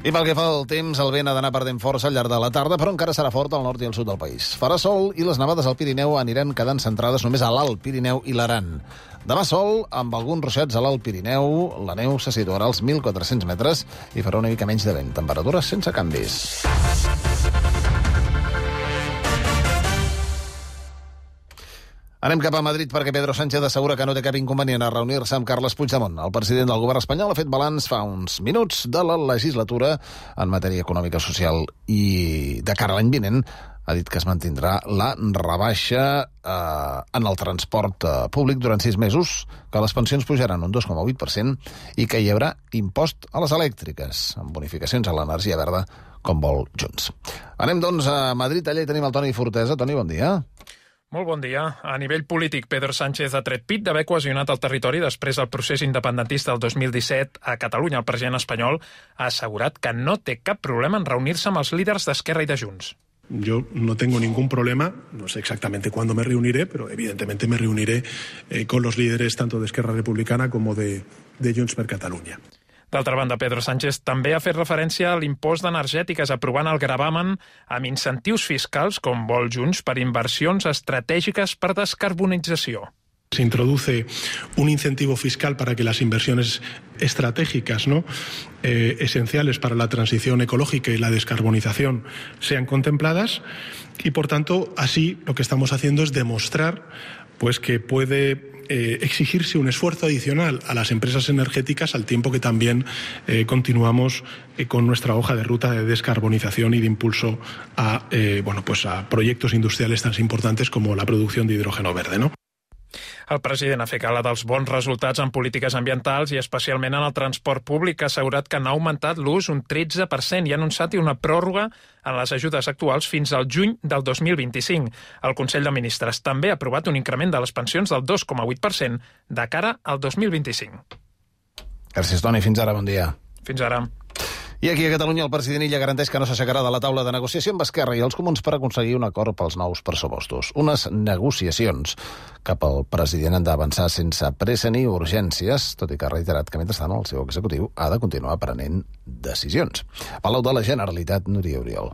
I pel que fa al temps, el vent ha d'anar perdent força al llarg de la tarda, però encara serà fort al nord i al sud del país. Farà sol i les nevades al Pirineu aniran quedant centrades només a l'Alt Pirineu i l'Aran. Demà sol, amb alguns ruixats a l'Alt Pirineu, la neu se situarà als mil quatre-cents metres i farà una mica menys de vent. Temperatures sense canvis. Anem cap a Madrid perquè Pedro Sánchez assegura que no té cap inconvenient a reunir-se amb Carles Puigdemont. El president del govern espanyol ha fet balanç fa uns minuts de la legislatura en matèria econòmica, social i de cara a l'any vinent. Ha dit que es mantindrà la rebaixa eh, en el transport eh, públic durant sis mesos, que les pensions pujaran un dos coma vuit per cent i que hi haurà impost a les elèctriques, amb bonificacions a l'energia verda, com vol Junts. Anem, doncs, a Madrid. Allà hi tenim el Toni Fortesa. Toni, bon dia. Molt bon dia. A nivell polític, Pedro Sánchez ha tret pit d'haver cohesionat el territori després del procés independentista del dos mil disset a Catalunya. El president espanyol ha assegurat que no té cap problema en reunir-se amb els líders d'Esquerra i de Junts. Yo no tengo ningún problema, no sé exactamente cuándo me reuniré, pero evidentemente me reuniré eh, con los líderes tanto de Esquerra Republicana como de, de Junts per Catalunya. D'altra banda, Pedro Sánchez també ha fet referència a l'impost d'energètiques, aprovant el gravamen amb incentius fiscals, com vol Junts, per inversions estratègiques per descarbonització. Se introduce un incentivo fiscal para que las inversiones estratégicas, ¿no? eh, esenciales para la transición ecológica y la descarbonización sean contempladas y, por tanto, así lo que estamos haciendo es demostrar pues, que puede eh, exigirse un esfuerzo adicional a las empresas energéticas al tiempo que también eh, continuamos eh, con nuestra hoja de ruta de descarbonización y de impulso a, eh, bueno, pues a proyectos industriales tan importantes como la producción de hidrógeno verde, ¿no? El president ha fet gala dels bons resultats en polítiques ambientals i especialment en el transport públic, ha assegurat que n'ha augmentat l'ús un tretze per cent i ha anunciat una pròrroga en les ajudes actuals fins al juny del dos mil vint-i-cinc. El Consell de Ministres també ha aprovat un increment de les pensions del dos coma vuit per cent de cara al dos mil vint-i-cinc. Gràcies, Toni. Fins ara, bon dia. Fins ara. I aquí a Catalunya el president Illa garanteix que no s'aixecarà de la taula de negociació amb Esquerra i els Comuns per aconseguir un acord pels nous pressupostos. Unes negociacions que pel president han d'avançar sense pressa ni urgències, tot i que ha reiterat que mentrestant el seu executiu ha de continuar prenent decisions. Palau de la Generalitat, Núria Oriol.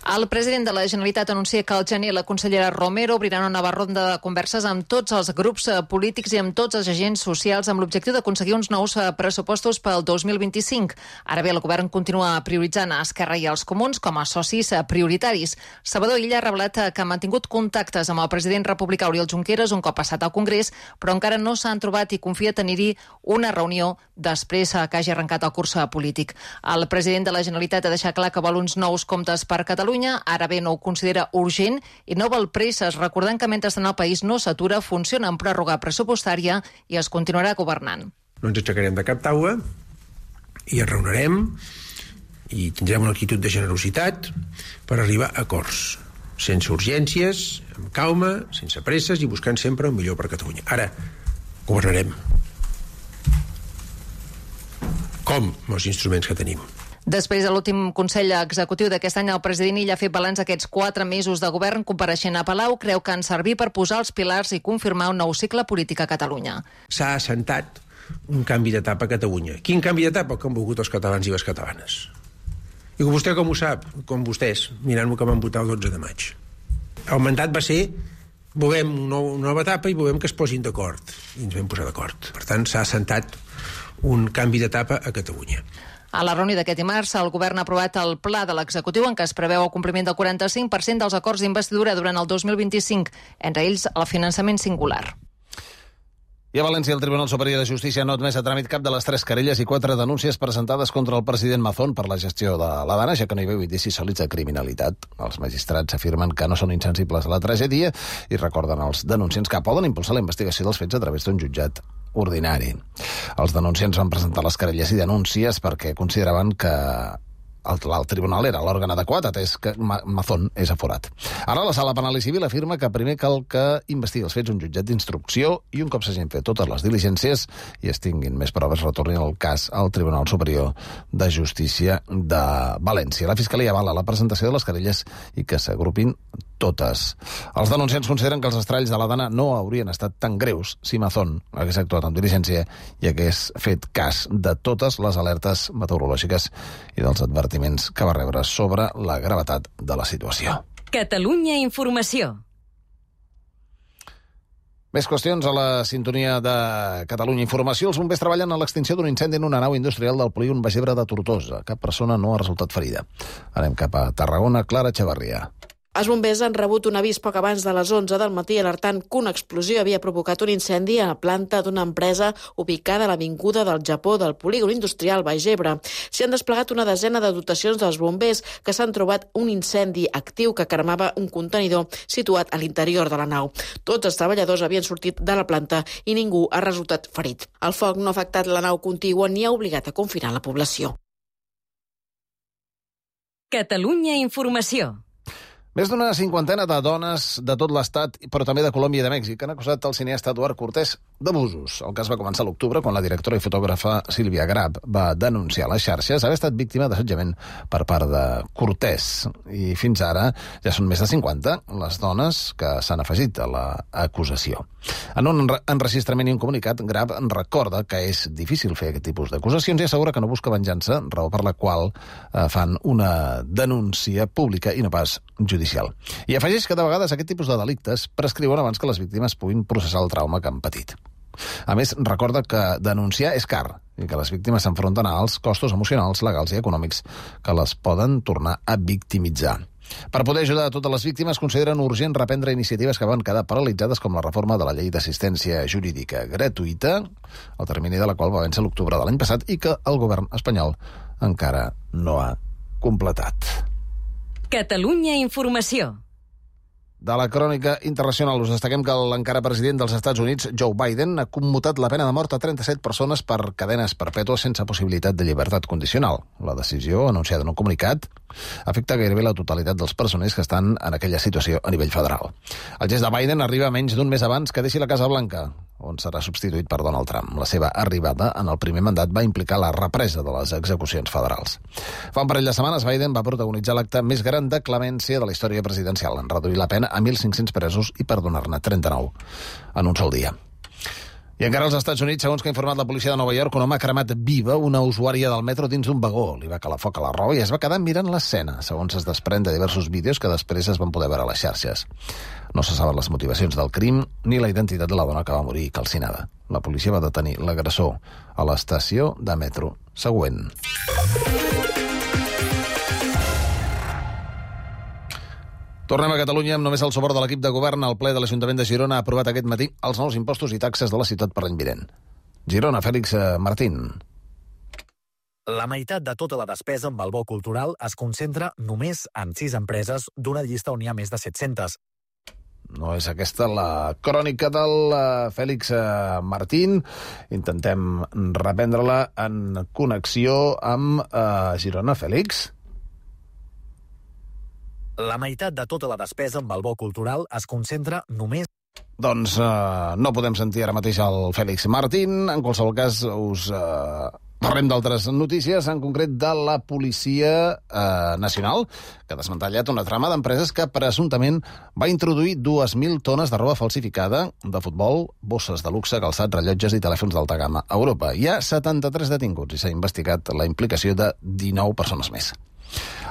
El president de la Generalitat anuncia que al gener la consellera Romero obrirà una nova ronda de converses amb tots els grups polítics i amb tots els agents socials amb l'objectiu d'aconseguir uns nous pressupostos pel dos mil vint-i-cinc. Ara bé, el govern continua prioritzant a Esquerra i els Comuns com a socis prioritaris. Salvador Illa ha revelat que ha mantingut contactes amb el president republicà Oriol Junqueras un cop passat al Congrés, però encara no s'han trobat i confia tenir-hi una reunió després que hagi arrencat el curs polític. El president de la Generalitat ha deixat clar que vol uns nous comptes per Catalunya. Ara bé, no ho considera urgent i no vol presses, recordant que mentrestant el país no s'atura, funciona en pròrroga pressupostària i es continuarà governant. No ens aixecarem de cap taula i ens reunirem i tindrem una actitud de generositat per arribar a acords, sense urgències, amb calma, sense presses i buscant sempre el millor per Catalunya. Ara, governarem. Com? Amb els instruments que tenim. Després de l'últim Consell Executiu d'aquest any, el president Illa ha fet balanç aquests quatre mesos de govern. Compareixent a Palau, creu que han servit per posar els pilars i confirmar un nou cicle polític a Catalunya. S'ha assentat un canvi d'etapa a Catalunya. Quin canvi d'etapa? El que han volgut els catalans i les catalanes. I vostè com ho sap? Com vostès, mirant el que van votar el dotze de maig. El mandat va ser volem una nova etapa i volem que es posin d'acord. I ens vam posar d'acord. Per tant, s'ha assentat un canvi d'etapa a Catalunya. A la reunió d'aquest dimarts, el govern ha aprovat el pla de l'executiu en què es preveu el compliment del quaranta-cinc per cent dels acords d'investidura durant el dos mil vint-i-cinc, entre ells el finançament singular. I a València, el Tribunal Superior de Justícia no ha admès a tràmit cap de les tres querelles i quatre denúncies presentades contra el president Mazón per la gestió de la Dana, ja que no hi veu indicis sòlids de criminalitat. Els magistrats afirmen que no són insensibles a la tragèdia i recorden als denunciants que poden impulsar la investigació dels fets a través d'un jutjat ordinari. Els denunciants van presentar les querelles i denúncies perquè consideraven que el, el tribunal era l'òrgan adequat, atès que Mazón és aforat. Ara la sala penal i civil afirma que primer cal que investigui els fets un jutjat d'instrucció i un cop s'hagin fet totes les diligències i es tinguin més proves, retornin el cas al Tribunal Superior de Justícia de València. La Fiscalia avala la presentació de les querelles i que s'agrupin totes. Els denunciants consideren que els estralls de la Dana no haurien estat tan greus si Mazón hagués actuat amb diligència i hagués fet cas de totes les alertes meteorològiques i dels advertiments que va rebre sobre la gravetat de la situació. Catalunya Informació. Més qüestions a la sintonia de Catalunya Informació. Els bombers treballen a l'extinció d'un incendi en una nau industrial del polígon Bagebre de Tortosa. Cap persona no ha resultat ferida. Anem cap a Tarragona. Clara Echevarria. Els bombers han rebut un avís poc abans de les onze del matí alertant que una explosió havia provocat un incendi a la planta d'una empresa ubicada a l'avinguda del Japó del polígon industrial Baix Ebre. S'hi han desplegat una desena de dotacions dels bombers que s'han trobat un incendi actiu que cremava un contenidor situat a l'interior de la nau. Tots els treballadors havien sortit de la planta i ningú ha resultat ferit. El foc no ha afectat la nau contigua ni ha obligat a confinar la població. Catalunya Informació. Més d'una cinquantena de dones de tot l'Estat, però també de Colòmbia i de Mèxic, han acusat el cineasta Eduard Cortés d'abusos. El cas va començar a l'octubre, quan la directora i fotògrafa Sílvia Grab va denunciar a les xarxes haver estat víctima d'assetjament per part de Cortés. I fins ara ja són més de cinquanta les dones que s'han afegit a l'acusació. En un enregistrament i un comunicat, Grab recorda que és difícil fer aquest tipus d'acusacions i assegura que no busca venjança, raó per la qual eh, fan una denúncia pública i no pas judicial. I afegeix que de vegades aquest tipus de delictes prescriuen abans que les víctimes puguin processar el trauma que han patit. A més, recorda que denunciar és car i que les víctimes s'enfronten a alts costos emocionals, legals i econòmics que les poden tornar a victimitzar. Per poder ajudar a totes les víctimes, consideren urgent reprendre iniciatives que van quedar paralitzades, com la reforma de la llei d'assistència jurídica gratuïta, el termini de la qual va vèncer l'octubre de l'any passat i que el govern espanyol encara no ha completat. Catalunya Informació. de la crònica internacional us destaquem que l'encara president dels Estats Units, Joe Biden, ha commutat la pena de mort a trenta-set persones per cadenes perpètues sense possibilitat de llibertat condicional. La decisió, anunciada en un comunicat, afecta gairebé la totalitat dels presoners que estan en aquella situació a nivell federal. El gest de Biden arriba menys d'un mes abans que deixi la Casa Blanca, on serà substituït per Donald Trump. La seva arribada en el primer mandat va implicar la represa de les execucions federals. Fa un parell de setmanes, Biden va protagonitzar l'acte més gran de clemència de la història presidencial, en reduir la pena a mil cinc-cents presos i perdonar-ne trenta-nou en un sol dia. I encara als Estats Units, segons que ha informat la policia de Nova York, un home ha cremat viva una usuària del metro dins d'un vagó. Li va calar foc a la roba i es va quedar mirant l'escena, segons es desprèn de diversos vídeos que després es van poder veure a les xarxes. No se saben les motivacions del crim ni la identitat de la dona que va morir calcinada. La policia va detenir l'agressor a l'estació de metro següent. Tornem a Catalunya amb només el suport de l'equip de govern. El ple de l'Ajuntament de Girona ha aprovat aquest matí els nous impostos i taxes de la ciutat per l'any vinent. Girona, Fèlix Martín. La meitat de tota la despesa amb el bo cultural es concentra només en sis empreses d'una llista on hi ha més de set-centes. No és aquesta la crònica del Fèlix Martín. Intentem reprendre-la en connexió amb uh, Girona. Fèlix? La meitat de tota la despesa amb el bo cultural es concentra només... Doncs uh, no podem sentir ara mateix el Fèlix Martín. En qualsevol cas, us uh, parlem d'altres notícies, en concret de la Policia uh, Nacional, que ha desmantellat una trama d'empreses que presumptament va introduir dues mil tones de roba falsificada de futbol, bosses de luxe, calçats, rellotges i telèfons d'alta gamma a Europa. Hi ha setanta-tres detinguts i s'ha investigat la implicació de dinou persones més.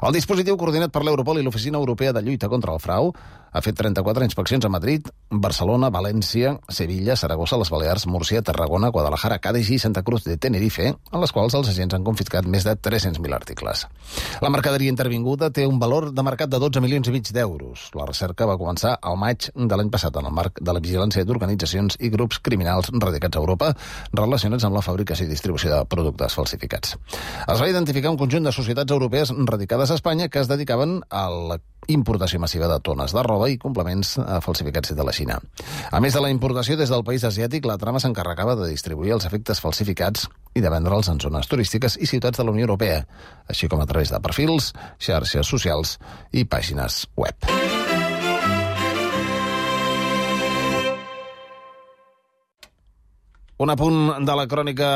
El dispositiu coordinat per l'Europol i l'Oficina Europea de Lluita contra el Frau ha fet trenta-quatre inspeccions a Madrid, Barcelona, València, Sevilla, Saragossa, les Balears, Múrcia, Tarragona, Guadalajara, Cádiz i Santa Cruz de Tenerife, en les quals els agents han confiscat més de tres-cents mil articles. La mercaderia intervinguda té un valor de mercat de dotze milions i mig d'euros. La recerca va començar al maig de l'any passat en el marc de la vigilància d'organitzacions i grups criminals radicats a Europa relacionats amb la fabricació i distribució de productes falsificats. Es va identificar un conjunt de societats europees radicades a Espanya que es dedicaven a la importació massiva de tones de roba i complements falsificats de la Xina. A més de la importació des del país asiàtic, la trama s'encarregava de distribuir els efectes falsificats i de vendre'ls en zones turístiques i ciutats de la Unió Europea, així com a través de perfils, xarxes socials i pàgines web. Un apunt de la crònica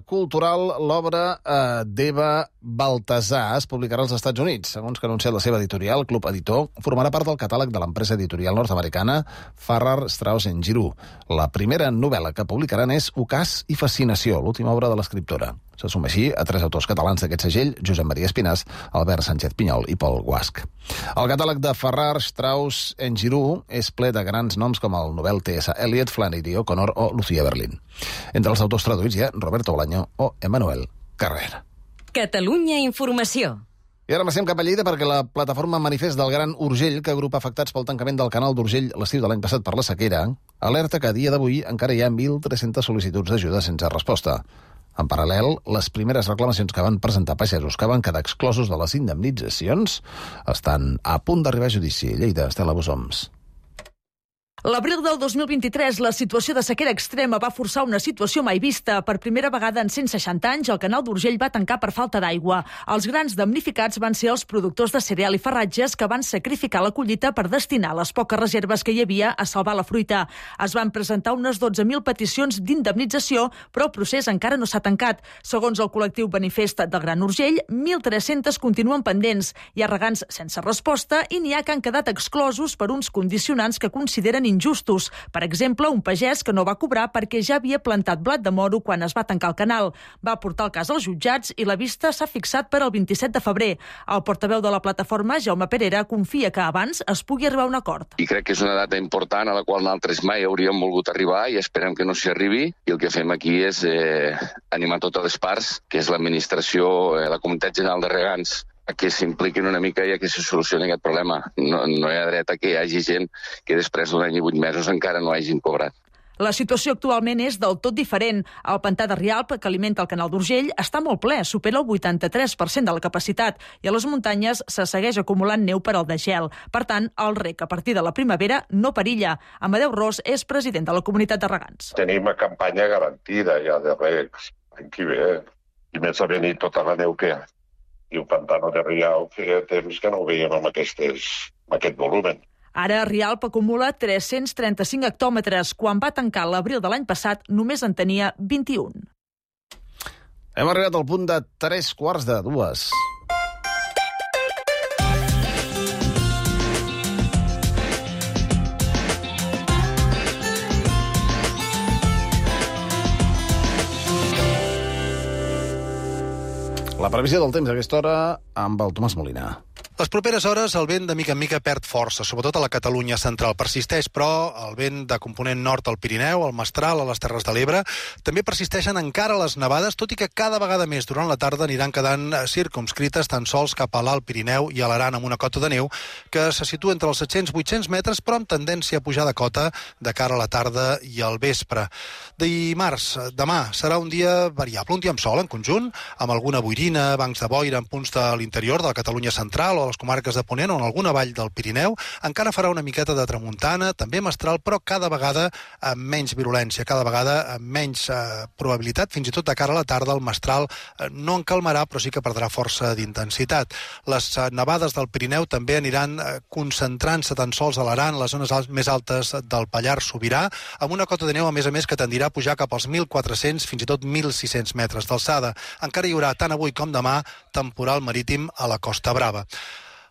cultural, l'obra eh, d'Eva Baltasar es publicarà als Estats Units. Segons que ha anunciat la seva editorial, Club Editor, formarà part del catàleg de l'empresa editorial nord-americana Farrar, Straus and Giroux. La primera novel·la que publicaran és Ocàs i fascinació, l'última obra de l'escriptora. Se suma així a tres autors catalans d'aquest segell, Josep Maria Espinàs, Albert Sánchez Pinyol i Pol Guasch. El catàleg de Farrar, Straus and Giroux és ple de grans noms com el Nobel T S Eliot, Flannery O'Connor o Lucía Berlín. Entre els autors traduïts hi ha Roberto Bolaño o Emmanuel Carrer. Catalunya Informació. I ara passem cap a Lleida perquè la plataforma Manifest del Gran Urgell, que agrupa afectats pel tancament del canal d'Urgell l'estiu de l'any passat per la sequera, alerta que a dia d'avui encara hi ha mil tres-centes sol·licituds d'ajuda sense resposta. En paral·lel, les primeres reclamacions que van presentar pagesos que van quedar exclosos de les indemnitzacions estan a punt d'arribar a judici. Lleida, Estela Bosoms. L'abril del dos mil vint-i-tres, la situació de sequera extrema va forçar una situació mai vista. Per primera vegada en cent seixanta anys, el canal d'Urgell va tancar per falta d'aigua. Els grans damnificats van ser els productors de cereal i farratges que van sacrificar la collita per destinar les poques reserves que hi havia a salvar la fruita. Es van presentar unes dotze mil peticions d'indemnització, però el procés encara no s'ha tancat. Segons el col·lectiu Manifest del Gran Urgell, mil tres-centes continuen pendents. Hi ha regants sense resposta i n'hi ha que han quedat exclosos per uns condicionants que consideren injustos. Per exemple, un pagès que no va cobrar perquè ja havia plantat blat de moro quan es va tancar el canal. Va portar el cas als jutjats i la vista s'ha fixat per al vint-i-set de febrer. El portaveu de la plataforma, Jaume Perera, confia que abans es pugui arribar a un acord. I crec que és una data important a la qual nosaltres mai hauríem volgut arribar i esperem que no s'hi arribi. I el que fem aquí és eh, animar totes les parts, que és l'administració, eh, la Comunitat General de Regants, que s'impliquin una mica i que se solucioni aquest problema. No, no hi ha dret a que hi hagi gent que després d'un any i vuit mesos encara no hagin cobrat. La situació actualment és del tot diferent. El pantà de Rialp, que alimenta el canal d'Urgell, està molt ple, supera el vuitanta-tres per cent de la capacitat, i a les muntanyes se segueix acumulant neu per al degel. Per tant, el rec a partir de la primavera no perilla. Amadeu Ros és president de la comunitat de regants. Tenim una campanya garantida ja de recs l'any que ve, i més a venir tota la neu que hi ha. I el pantano de Rialp feia temps que no ho veiem amb, aquestes, amb aquest volumen. Ara, Rialp acumula tres-cents trenta-cinc hectòmetres. Quan va tancar l'abril de l'any passat, només en tenia vint-i-un. Hem arribat al punt de tres quarts de dues. La previsió del temps a aquesta hora amb el Tomàs Molina. Les properes hores el vent de mica en mica perd força, sobretot a la Catalunya central. Persisteix, però, el vent de component nord al Pirineu, al Mestral, a les Terres de l'Ebre. També persisteixen encara les nevades, tot i que cada vegada més durant la tarda aniran quedant circumscrites tan sols cap a l'Alt Pirineu i a l'Aran, amb una cota de neu que se situa entre els set-cents i vuit-cents metres, però amb tendència a pujar de cota de cara a la tarda i al vespre. Dimarts, demà, serà un dia variable, un dia amb sol en conjunt, amb alguna boirina, bancs de boira en punts de l'interior de la Catalunya central o a les comarques de Ponent o en alguna vall del Pirineu. Encara farà una miqueta de tramuntana, també mestral, però cada vegada amb menys virulència, cada vegada amb menys eh, probabilitat, fins i tot de cara a la tarda el mestral eh, no en calmarà, però sí que perdrà força d'intensitat. Les eh, nevades del Pirineu també aniran eh, concentrant-se tan sols a l'Aran, les zones alt, més altes del Pallars Sobirà, amb una cota de neu, a més a més, que tendirà a pujar cap als mil quatre-cents, fins i tot mil sis-cents metres d'alçada. Encara hi haurà, tant avui com demà, temporal marítim a la Costa Brava.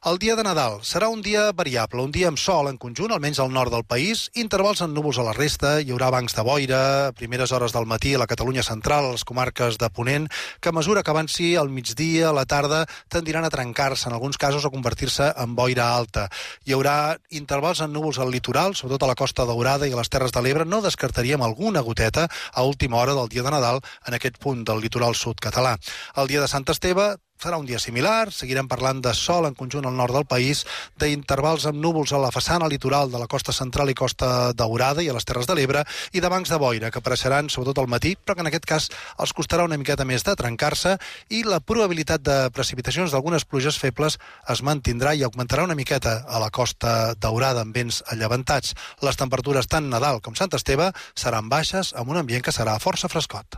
El dia de Nadal serà un dia variable, un dia amb sol en conjunt, almenys al nord del país, intervals en núvols a la resta, hi haurà bancs de boira, a primeres hores del matí a la Catalunya central, a les comarques de Ponent, que a mesura que avanci al migdia, a la tarda, tendiran a trencar-se, en alguns casos a convertir-se en boira alta. Hi haurà intervals en núvols al litoral, sobretot a la Costa Daurada i a les Terres de l'Ebre. No descartaríem alguna goteta a última hora del dia de Nadal en aquest punt del litoral sud català. El dia de Sant Esteve serà un dia similar, seguirem parlant de sol en conjunt al nord del país, d'intervals amb núvols a la façana litoral de la costa central i costa Daurada i a les Terres de l'Ebre, i de bancs de boira que apareixeran sobretot al matí, però que en aquest cas els costarà una miqueta més de trencar-se, i la probabilitat de precipitacions d'algunes pluges febles es mantindrà i augmentarà una miqueta a la costa Daurada amb vents allevantats. Les temperatures tant Nadal com Sant Esteve seran baixes, amb un ambient que serà força frescot.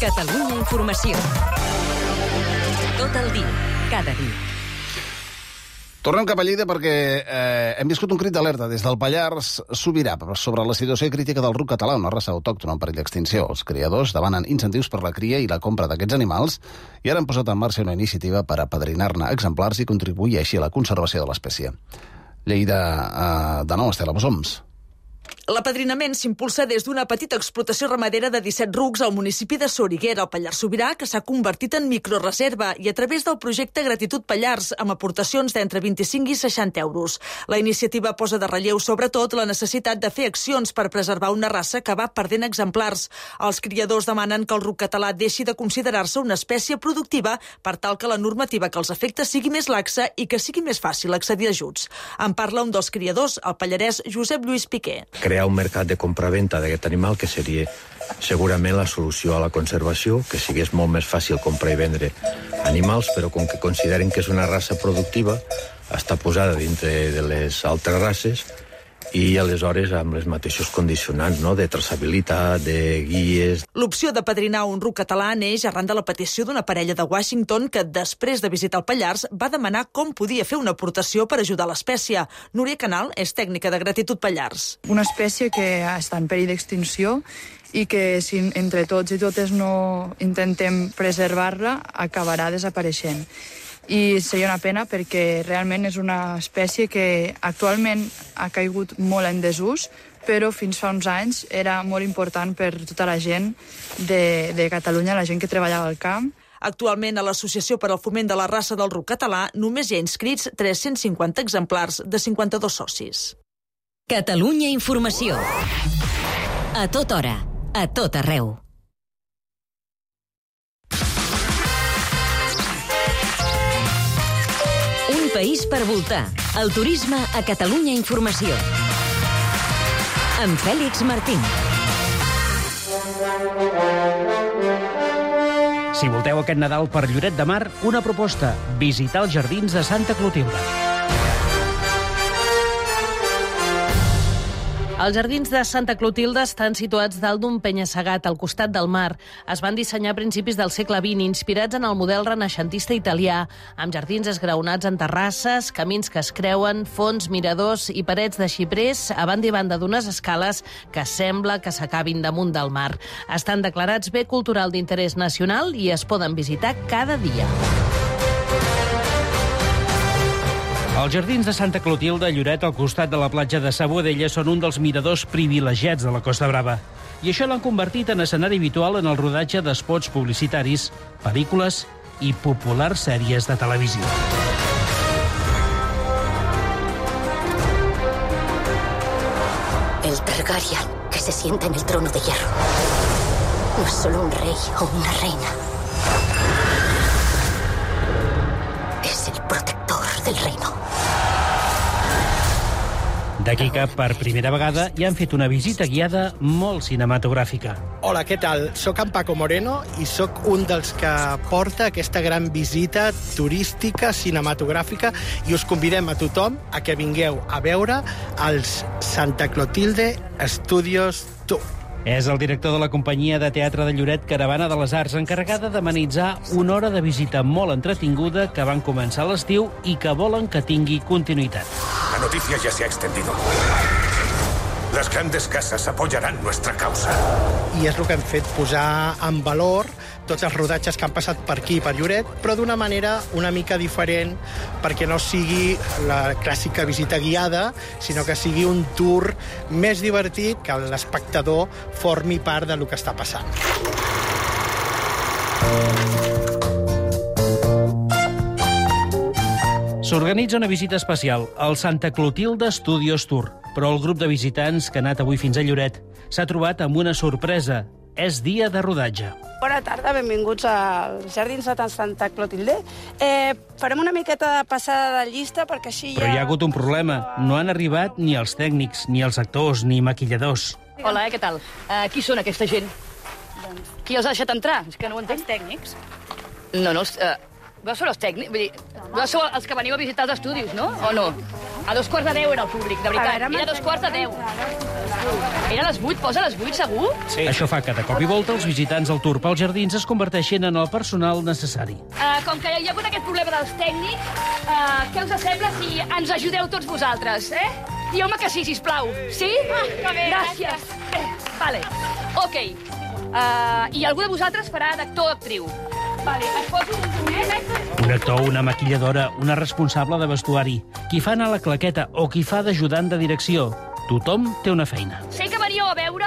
Catalunya Informació. Tot el dia, cada dia. Tornem cap a Lleida perquè eh, hem viscut un crit d'alerta des del Pallars Sobirà sobre la situació crítica del ruc català, una raça autòctona en perill d'extinció. Els criadors demanen incentius per la cria i la compra d'aquests animals i ara han posat en marxa una iniciativa per apadrinar-ne exemplars i contribuir així a la conservació de l'espècie. Lleida, eh, de nou, Estela Bosoms. L'apadrinament s'impulsa des d'una petita explotació ramadera de disset rucs al municipi de Soriguera, al Pallars Sobirà, que s'ha convertit en microreserva i a través del projecte Gratitud Pallars, amb aportacions d'entre vint-i-cinc i seixanta euros. La iniciativa posa de relleu, sobretot, la necessitat de fer accions per preservar una raça que va perdent exemplars. Els criadors demanen que el ruc català deixi de considerar-se una espècie productiva per tal que la normativa que els afecta sigui més laxa i que sigui més fàcil accedir a ajuts. En parla un dels criadors, el pallarès Josep Lluís Piqué. Crear un mercat de compra-venta d'aquest animal que seria segurament la solució a la conservació, que sigués molt més fàcil comprar i vendre animals, però com que consideren que és una raça productiva, està posada dintre de les altres races i aleshores amb les mateixos condicionants, no?, de traçabilitat, de guies. L'opció de padrinar un ruc català neix arran de la petició d'una parella de Washington que, després de visitar el Pallars, va demanar com podia fer una aportació per ajudar l'espècie. Núria Canal és tècnica de Gratitud Pallars. Una espècie que està en perill d'extinció i que si entre tots i totes no intentem preservar-la, acabarà desapareixent. I seria una pena perquè realment és una espècie que actualment ha caigut molt en desús, però fins fa uns anys era molt important per tota la gent de, de Catalunya, la gent que treballava al camp. Actualment, a l'Associació per al Foment de la Raça del Ruc Català només hi ha inscrits tres-cents cinquanta exemplars de cinquanta-dos socis. Catalunya Informació. A tota hora, a tot arreu. Un país per voltar. El turisme a Catalunya Informació. amb Fèlix Martín. Si volteu aquest Nadal per Lloret de Mar, una proposta: visitar els jardins de Santa Clotilde. Els jardins de Santa Clotilde estan situats dalt d'un penya-segat al costat del mar. Es van dissenyar a principis del segle vint, inspirats en el model renaixentista italià, amb jardins esgraonats en terrasses, camins que es creuen, fonts, miradors i parets de xiprers a banda i banda d'unes escales que sembla que s'acabin damunt del mar. Estan declarats bé cultural d'interès nacional i es poden visitar cada dia. Els jardins de Santa Clotilde a Lloret, al costat de la platja de Sa Boadella, són un dels miradors privilegiats de la Costa Brava. I això l'han convertit en escenari habitual en el rodatge d'espots publicitaris, pel·lícules i populars sèries de televisió. El Targaryen que se sienta en el trono de hierro no es solo un rey o una reina. Es el protector del reino. D'aquí que, per primera vegada, hi han fet una visita guiada molt cinematogràfica. Hola, què tal? Soc en Paco Moreno i sóc un dels que porta aquesta gran visita turística, cinematogràfica, i us convidem a tothom a que vingueu a veure els Santa Clotilde Studios Tour. És el director de la companyia de teatre de Lloret, Caravana de les Arts, encarregada d'amenitzar una hora de visita molt entretinguda que van començar a l'estiu i que volen que tingui continuïtat. La noticia ya se ha extendido. Las grandes casas apoyarán nuestra causa. I és el que hem fet, posar en valor tots els rodatges que han passat per aquí, per Lloret, però d'una manera una mica diferent, perquè no sigui la clàssica visita guiada, sinó que sigui un tour més divertit, que l'espectador formi part del que està passant. S'organitza una visita especial, el Santa Clotilde Studios Tour, però el grup de visitants que ha anat avui fins a Lloret s'ha trobat amb una sorpresa. És dia de rodatge. Bona tarda, benvinguts als Jardins de Santa Clotilde. Eh, farem una miqueta de passada de llista perquè així ja... Però hi ha hagut un problema. No han arribat ni els tècnics, ni els actors, ni maquilladors. Hola, eh, què tal? Uh, qui són aquesta gent? Doncs... Qui els ha deixat entrar? És que no ho entenc. Els tècnics. No, no, els... Uh... Vosaltres sou els tècnics? Vull dir, vosaltres sou els que veniu a visitar els estudis, no? O no? A dos quarts de deu era el públic, de veritat. Era a dos quarts de deu. Era a les vuit, posa a les vuit, segur? Sí. Això fa que de cop i volta els visitants del tour pels jardins es converteixen en el personal necessari. Uh, com que hi ha hagut aquest problema dels tècnics, uh, què us sembla si ens ajudeu tots vosaltres, eh? Dieu-me que sí, sisplau. Sí? Ah, que bé, gràcies. gràcies. Eh, vale. Ok. Uh, I algú de vosaltres farà d'actor o actriu. Vale, es poso un eh? Un actor, una maquilladora, una responsable de vestuari, qui fa anar la claqueta o qui fa d'ajudant de direcció. Tothom té una feina. Sé que veníeu a veure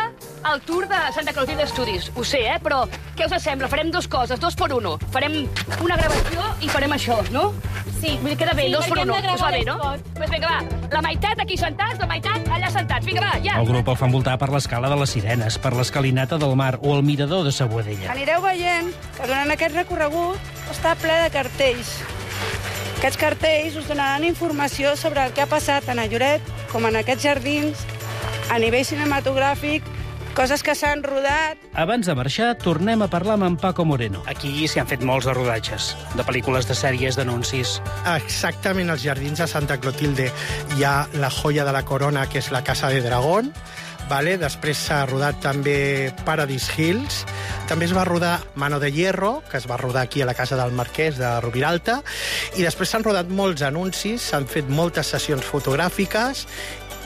el tour de Santa Clotilde Studios, ho sé, eh? Però què us sembla? Farem dues coses, dos per uno. Farem una gravació i farem això, no? Sí. Vull dir, queda bé, sí, dos per uno. Us va bé, no? Doncs pues vinga, va. La meitat aquí sentats, la meitat allà sentats. Vinga, va, ja. El grup el fa envoltar per l'escala de les Sirenes, per l'escalinata del mar o el mirador de Sa Boadella. Anireu veient que durant aquest recorregut està ple de cartells. Aquests cartells us donaran informació sobre el que ha passat tant a Lloret com en aquests jardins, a nivell cinematogràfic, coses que s'han rodat. Abans de marxar, tornem a parlar amb en Paco Moreno. Aquí s'hi han fet molts de rodatges, de pel·lícules, de sèries, d'anuncis. Exactament, als jardins de Santa Clotilde hi ha la joia de la corona, que és la Casa de Dragón. Vale? Després s'ha rodat també Paradise Hills. També es va rodar Mano de Hierro, que es va rodar aquí a la Casa del Marquès de Rubiralta. I després s'han rodat molts anuncis, s'han fet moltes sessions fotogràfiques,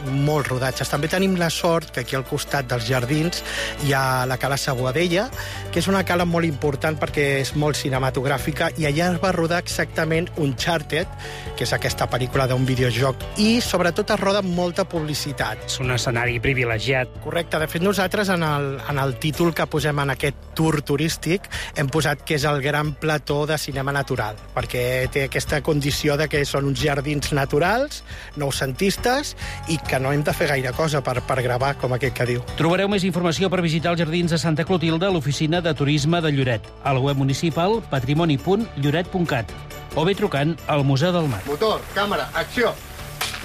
molts rodatges. També tenim la sort que aquí al costat dels jardins hi ha la Cala Sa Boadella, que és una cala molt important perquè és molt cinematogràfica, i allà es va rodar exactament Uncharted, que és aquesta pel·lícula d'un videojoc, i sobretot es roda molta publicitat. És un escenari privilegiat. Correcte. De fet, nosaltres en el, en el títol que posem en aquest tour turístic hem posat que és el gran plató de cinema natural, perquè té aquesta condició de que són uns jardins naturals, noucentistes, i que no hem de fer gaire cosa per, per gravar, com aquest que diu. Trobareu més informació per visitar els jardins de Santa Clotilde a l'oficina de turisme de Lloret, al web municipal patrimoni punt lloret punt cat o bé trucant al Museu del Mar. Motor, càmera, acció!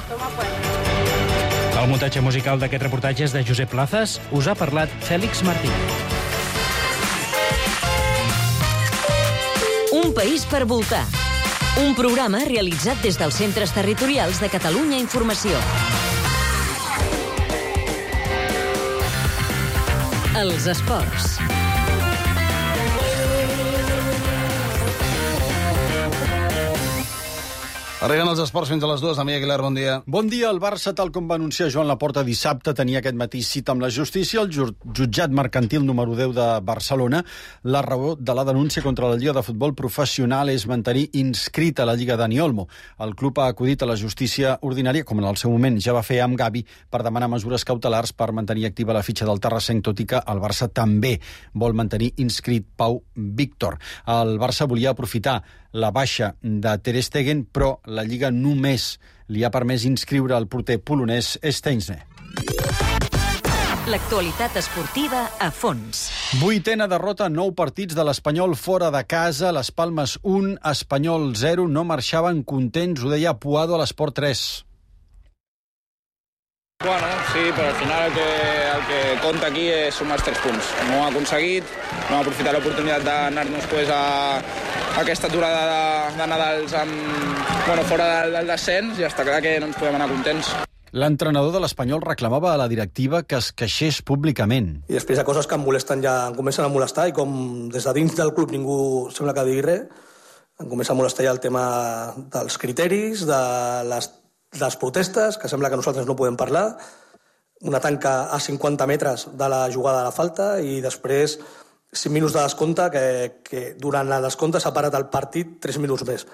Toma pues. El muntatge musical d'aquest reportatge és de Josep Plazas. Us ha parlat Fèlix Martí. Un país per voltar. Un programa realitzat des dels Centres Territorials de Catalunya Informació. Els esports. Arriben els esports fins a les dues. Damià Aguilar, bon dia. Bon dia. El Barça, tal com va anunciar Joan Laporta dissabte, tenia aquest matí cita amb la justícia. El jutjat mercantil número deu de Barcelona. La raó de la denúncia contra la Lliga de Futbol Professional és mantenir inscrita la Lliga Dani Olmo. El club ha acudit a la justícia ordinària, com en el seu moment ja va fer amb Gavi, per demanar mesures cautelars per mantenir activa la fitxa del Terrassenc, tot i que el Barça també vol mantenir inscrit Pau Víctor. El Barça volia aprofitar la baixa de Ter Stegen, però la Lliga només li ha permès inscriure el porter polonès Steinsne. L'actualitat esportiva a fons. Vuitena derrota, nou partits de l'Espanyol fora de casa, les Palmes un, Espanyol zero, no marxaven contents, ho deia Puado a l'Esport tres. Bueno, sí, però al final el que, el que compta aquí és sumar els tres punts. No ho ha aconseguit, no ha aprofitat l'oportunitat d'anar-nos pues, a, a aquesta aturada de, de Nadals amb, bueno, fora del, del descens i està clar que no ens podem anar contents. L'entrenador de l'Espanyol reclamava a la directiva que es queixés públicament. I després hi ha coses que em molesten ja, em comencen a molestar i com des de dins del club ningú sembla que digui res, em comença a molestar ja el tema dels criteris, de les les protestes, que sembla que nosaltres no podem parlar, una tanca a cinquanta metres de la jugada de la falta i després cinc minuts de descompte que, que durant la descompte s'ha parat el partit tres minuts més.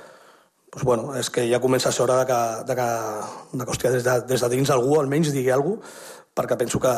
Pues bueno, és que ja comença a ser hora de que, de que, de que hòstia, des, de, des de dins algú almenys digui alguna cosa, perquè penso que,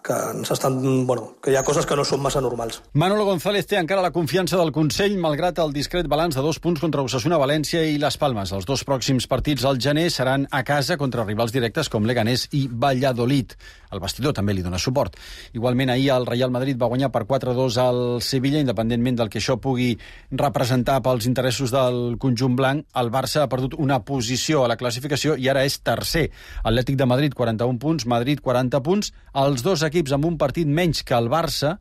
que, ens estan, bueno, que hi ha coses que no són massa normals. Manolo González té encara la confiança del Consell, malgrat el discret balanç de dos punts contra Osasuna, València i Les Palmes. Els dos pròxims partits al gener seran a casa contra rivals directes com Leganés i Valladolid. El vestidor també li dona suport. Igualment, ahir el Real Madrid va guanyar per quatre a dos al Sevilla, independentment del que això pugui representar pels interessos del conjunt blanc. El Barça ha perdut una posició a la classificació i ara és tercer. Atlètic de Madrid, quaranta-un punts, Madrid, quaranta punts, els dos equips amb un partit menys que el Barça,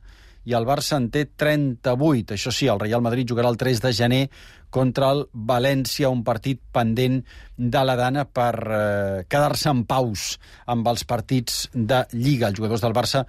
i el Barça en té trenta-vuit. Això sí, el Real Madrid jugarà el tres de gener contra el València, un partit pendent de la Dana per eh, quedar-se en paus amb els partits de Lliga. Els jugadors del Barça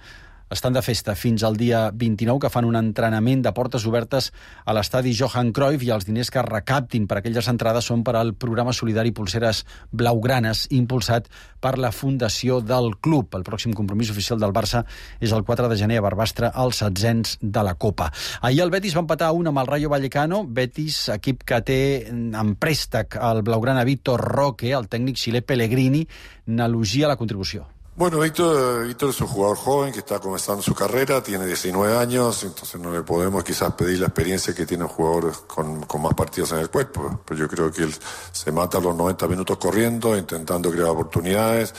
estan de festa fins al dia vint-i-nou, que fan un entrenament de portes obertes a l'estadi Johan Cruyff, i els diners que recaptin per aquelles entrades són per al programa solidari Pulseres Blaugranes, impulsat per la fundació del club. El pròxim compromís oficial del Barça és el quatre de gener a Barbastre, als setzents de la Copa. Ahir el Betis va empatar a un amb el Rayo Vallecano. Betis, equip que té en préstec el blaugrana Víctor Roque, el tècnic xilè Pellegrini n'elogia la contribució. Bueno, Víctor, Víctor es un jugador joven que está comenzando su carrera, tiene diecinueve años, entonces no le podemos quizás pedir la experiencia que tiene un jugador con, con más partidos en el cuerpo, pero yo creo que él se mata los noventa minutos corriendo, intentando crear oportunidades,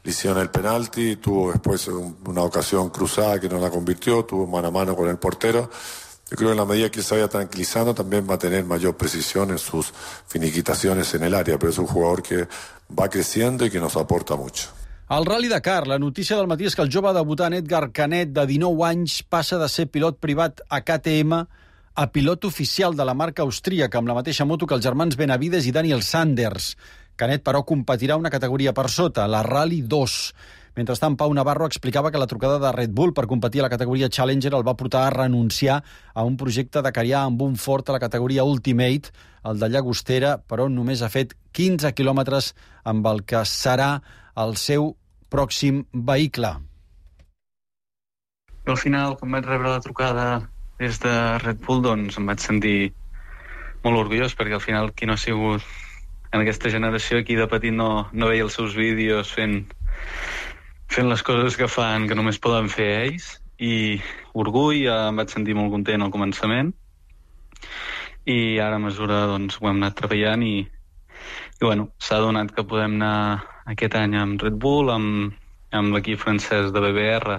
le hicieron el penalti, tuvo después un, una ocasión cruzada que no la convirtió, tuvo mano a mano con el portero. Yo creo que en la medida que se vaya tranquilizando también va a tener mayor precisión en sus finiquitaciones en el área, pero es un jugador que va creciendo y que nos aporta mucho. Al Rally Dakar, la notícia del matí és que el jove debutant Edgar Canet, de dinou anys, passa de ser pilot privat a K T M a pilot oficial de la marca austríaca, amb la mateixa moto que els germans Benavides i Daniel Sanders. Canet, però, competirà una categoria per sota, la Rally dos. Mentrestant, Pau Navarro explicava que la trucada de Red Bull per competir a la categoria Challenger el va portar a renunciar a un projecte dakarià amb un Ford a la categoria Ultimate, el de Llagostera, però només ha fet quinze quilòmetres amb el que serà el seu pròxim vehicle. Al final, quan vaig rebre la trucada des de Red Bull, doncs em vaig sentir molt orgullós, perquè al final qui no ha sigut en aquesta generació, qui de petit no, no veia els seus vídeos fent, fent les coses que fan, que només poden fer ells, i orgull, em vaig sentir molt content al començament, i ara a mesura doncs, ho hem anat treballant i, i bueno, s'ha donat que podem anar aquest any amb Red Bull, amb, amb l'equip francès de B B R,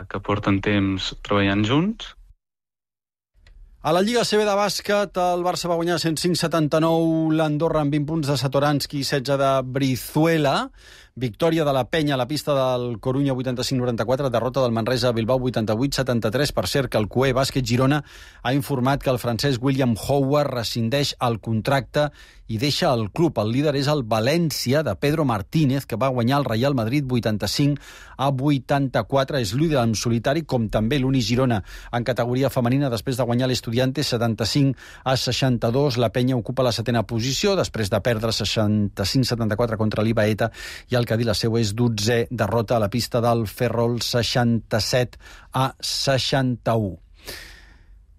que porten temps treballant junts. A la Lliga C B de bàsquet, el Barça va guanyar cent cinc a setanta-nou l'Andorra amb vint punts de Satoranski i setze de Brizuela, Victòria de la Penya a la pista del Corunya vuitanta-cinc noranta-quatre, derrota del Manresa a Bilbao vuitanta-vuit setanta-tres. Per cert, que el C U E Bàsquet Girona ha informat que el francès William Howard rescindeix el contracte i deixa el club. El líder és el València, de Pedro Martínez, que va guanyar el Real Madrid vuitanta-cinc a vuitanta-quatre. És líder en solitari, com també l'Uni Girona en categoria femenina, després de guanyar l'Estudiantes setanta-cinc a seixanta-dos. La Penya ocupa la setena posició, després de perdre seixanta-cinc setanta-quatre contra l'Ibaeta, i el Cadí la seva és dotzè, derrota a la pista del Ferrol seixanta-set a seixanta-u.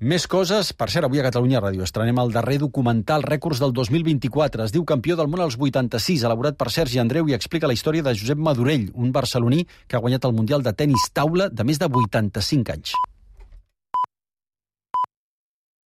Més coses. Per cert, avui a Catalunya Ràdio estrenem el darrer documental Rècords del dos mil vint-i-quatre. Es diu Campió del món als vuitanta-sis, elaborat per Sergi Andreu, i explica la història de Josep Madurell, un barceloní que ha guanyat el Mundial de tenis taula de més de vuitanta-cinc anys.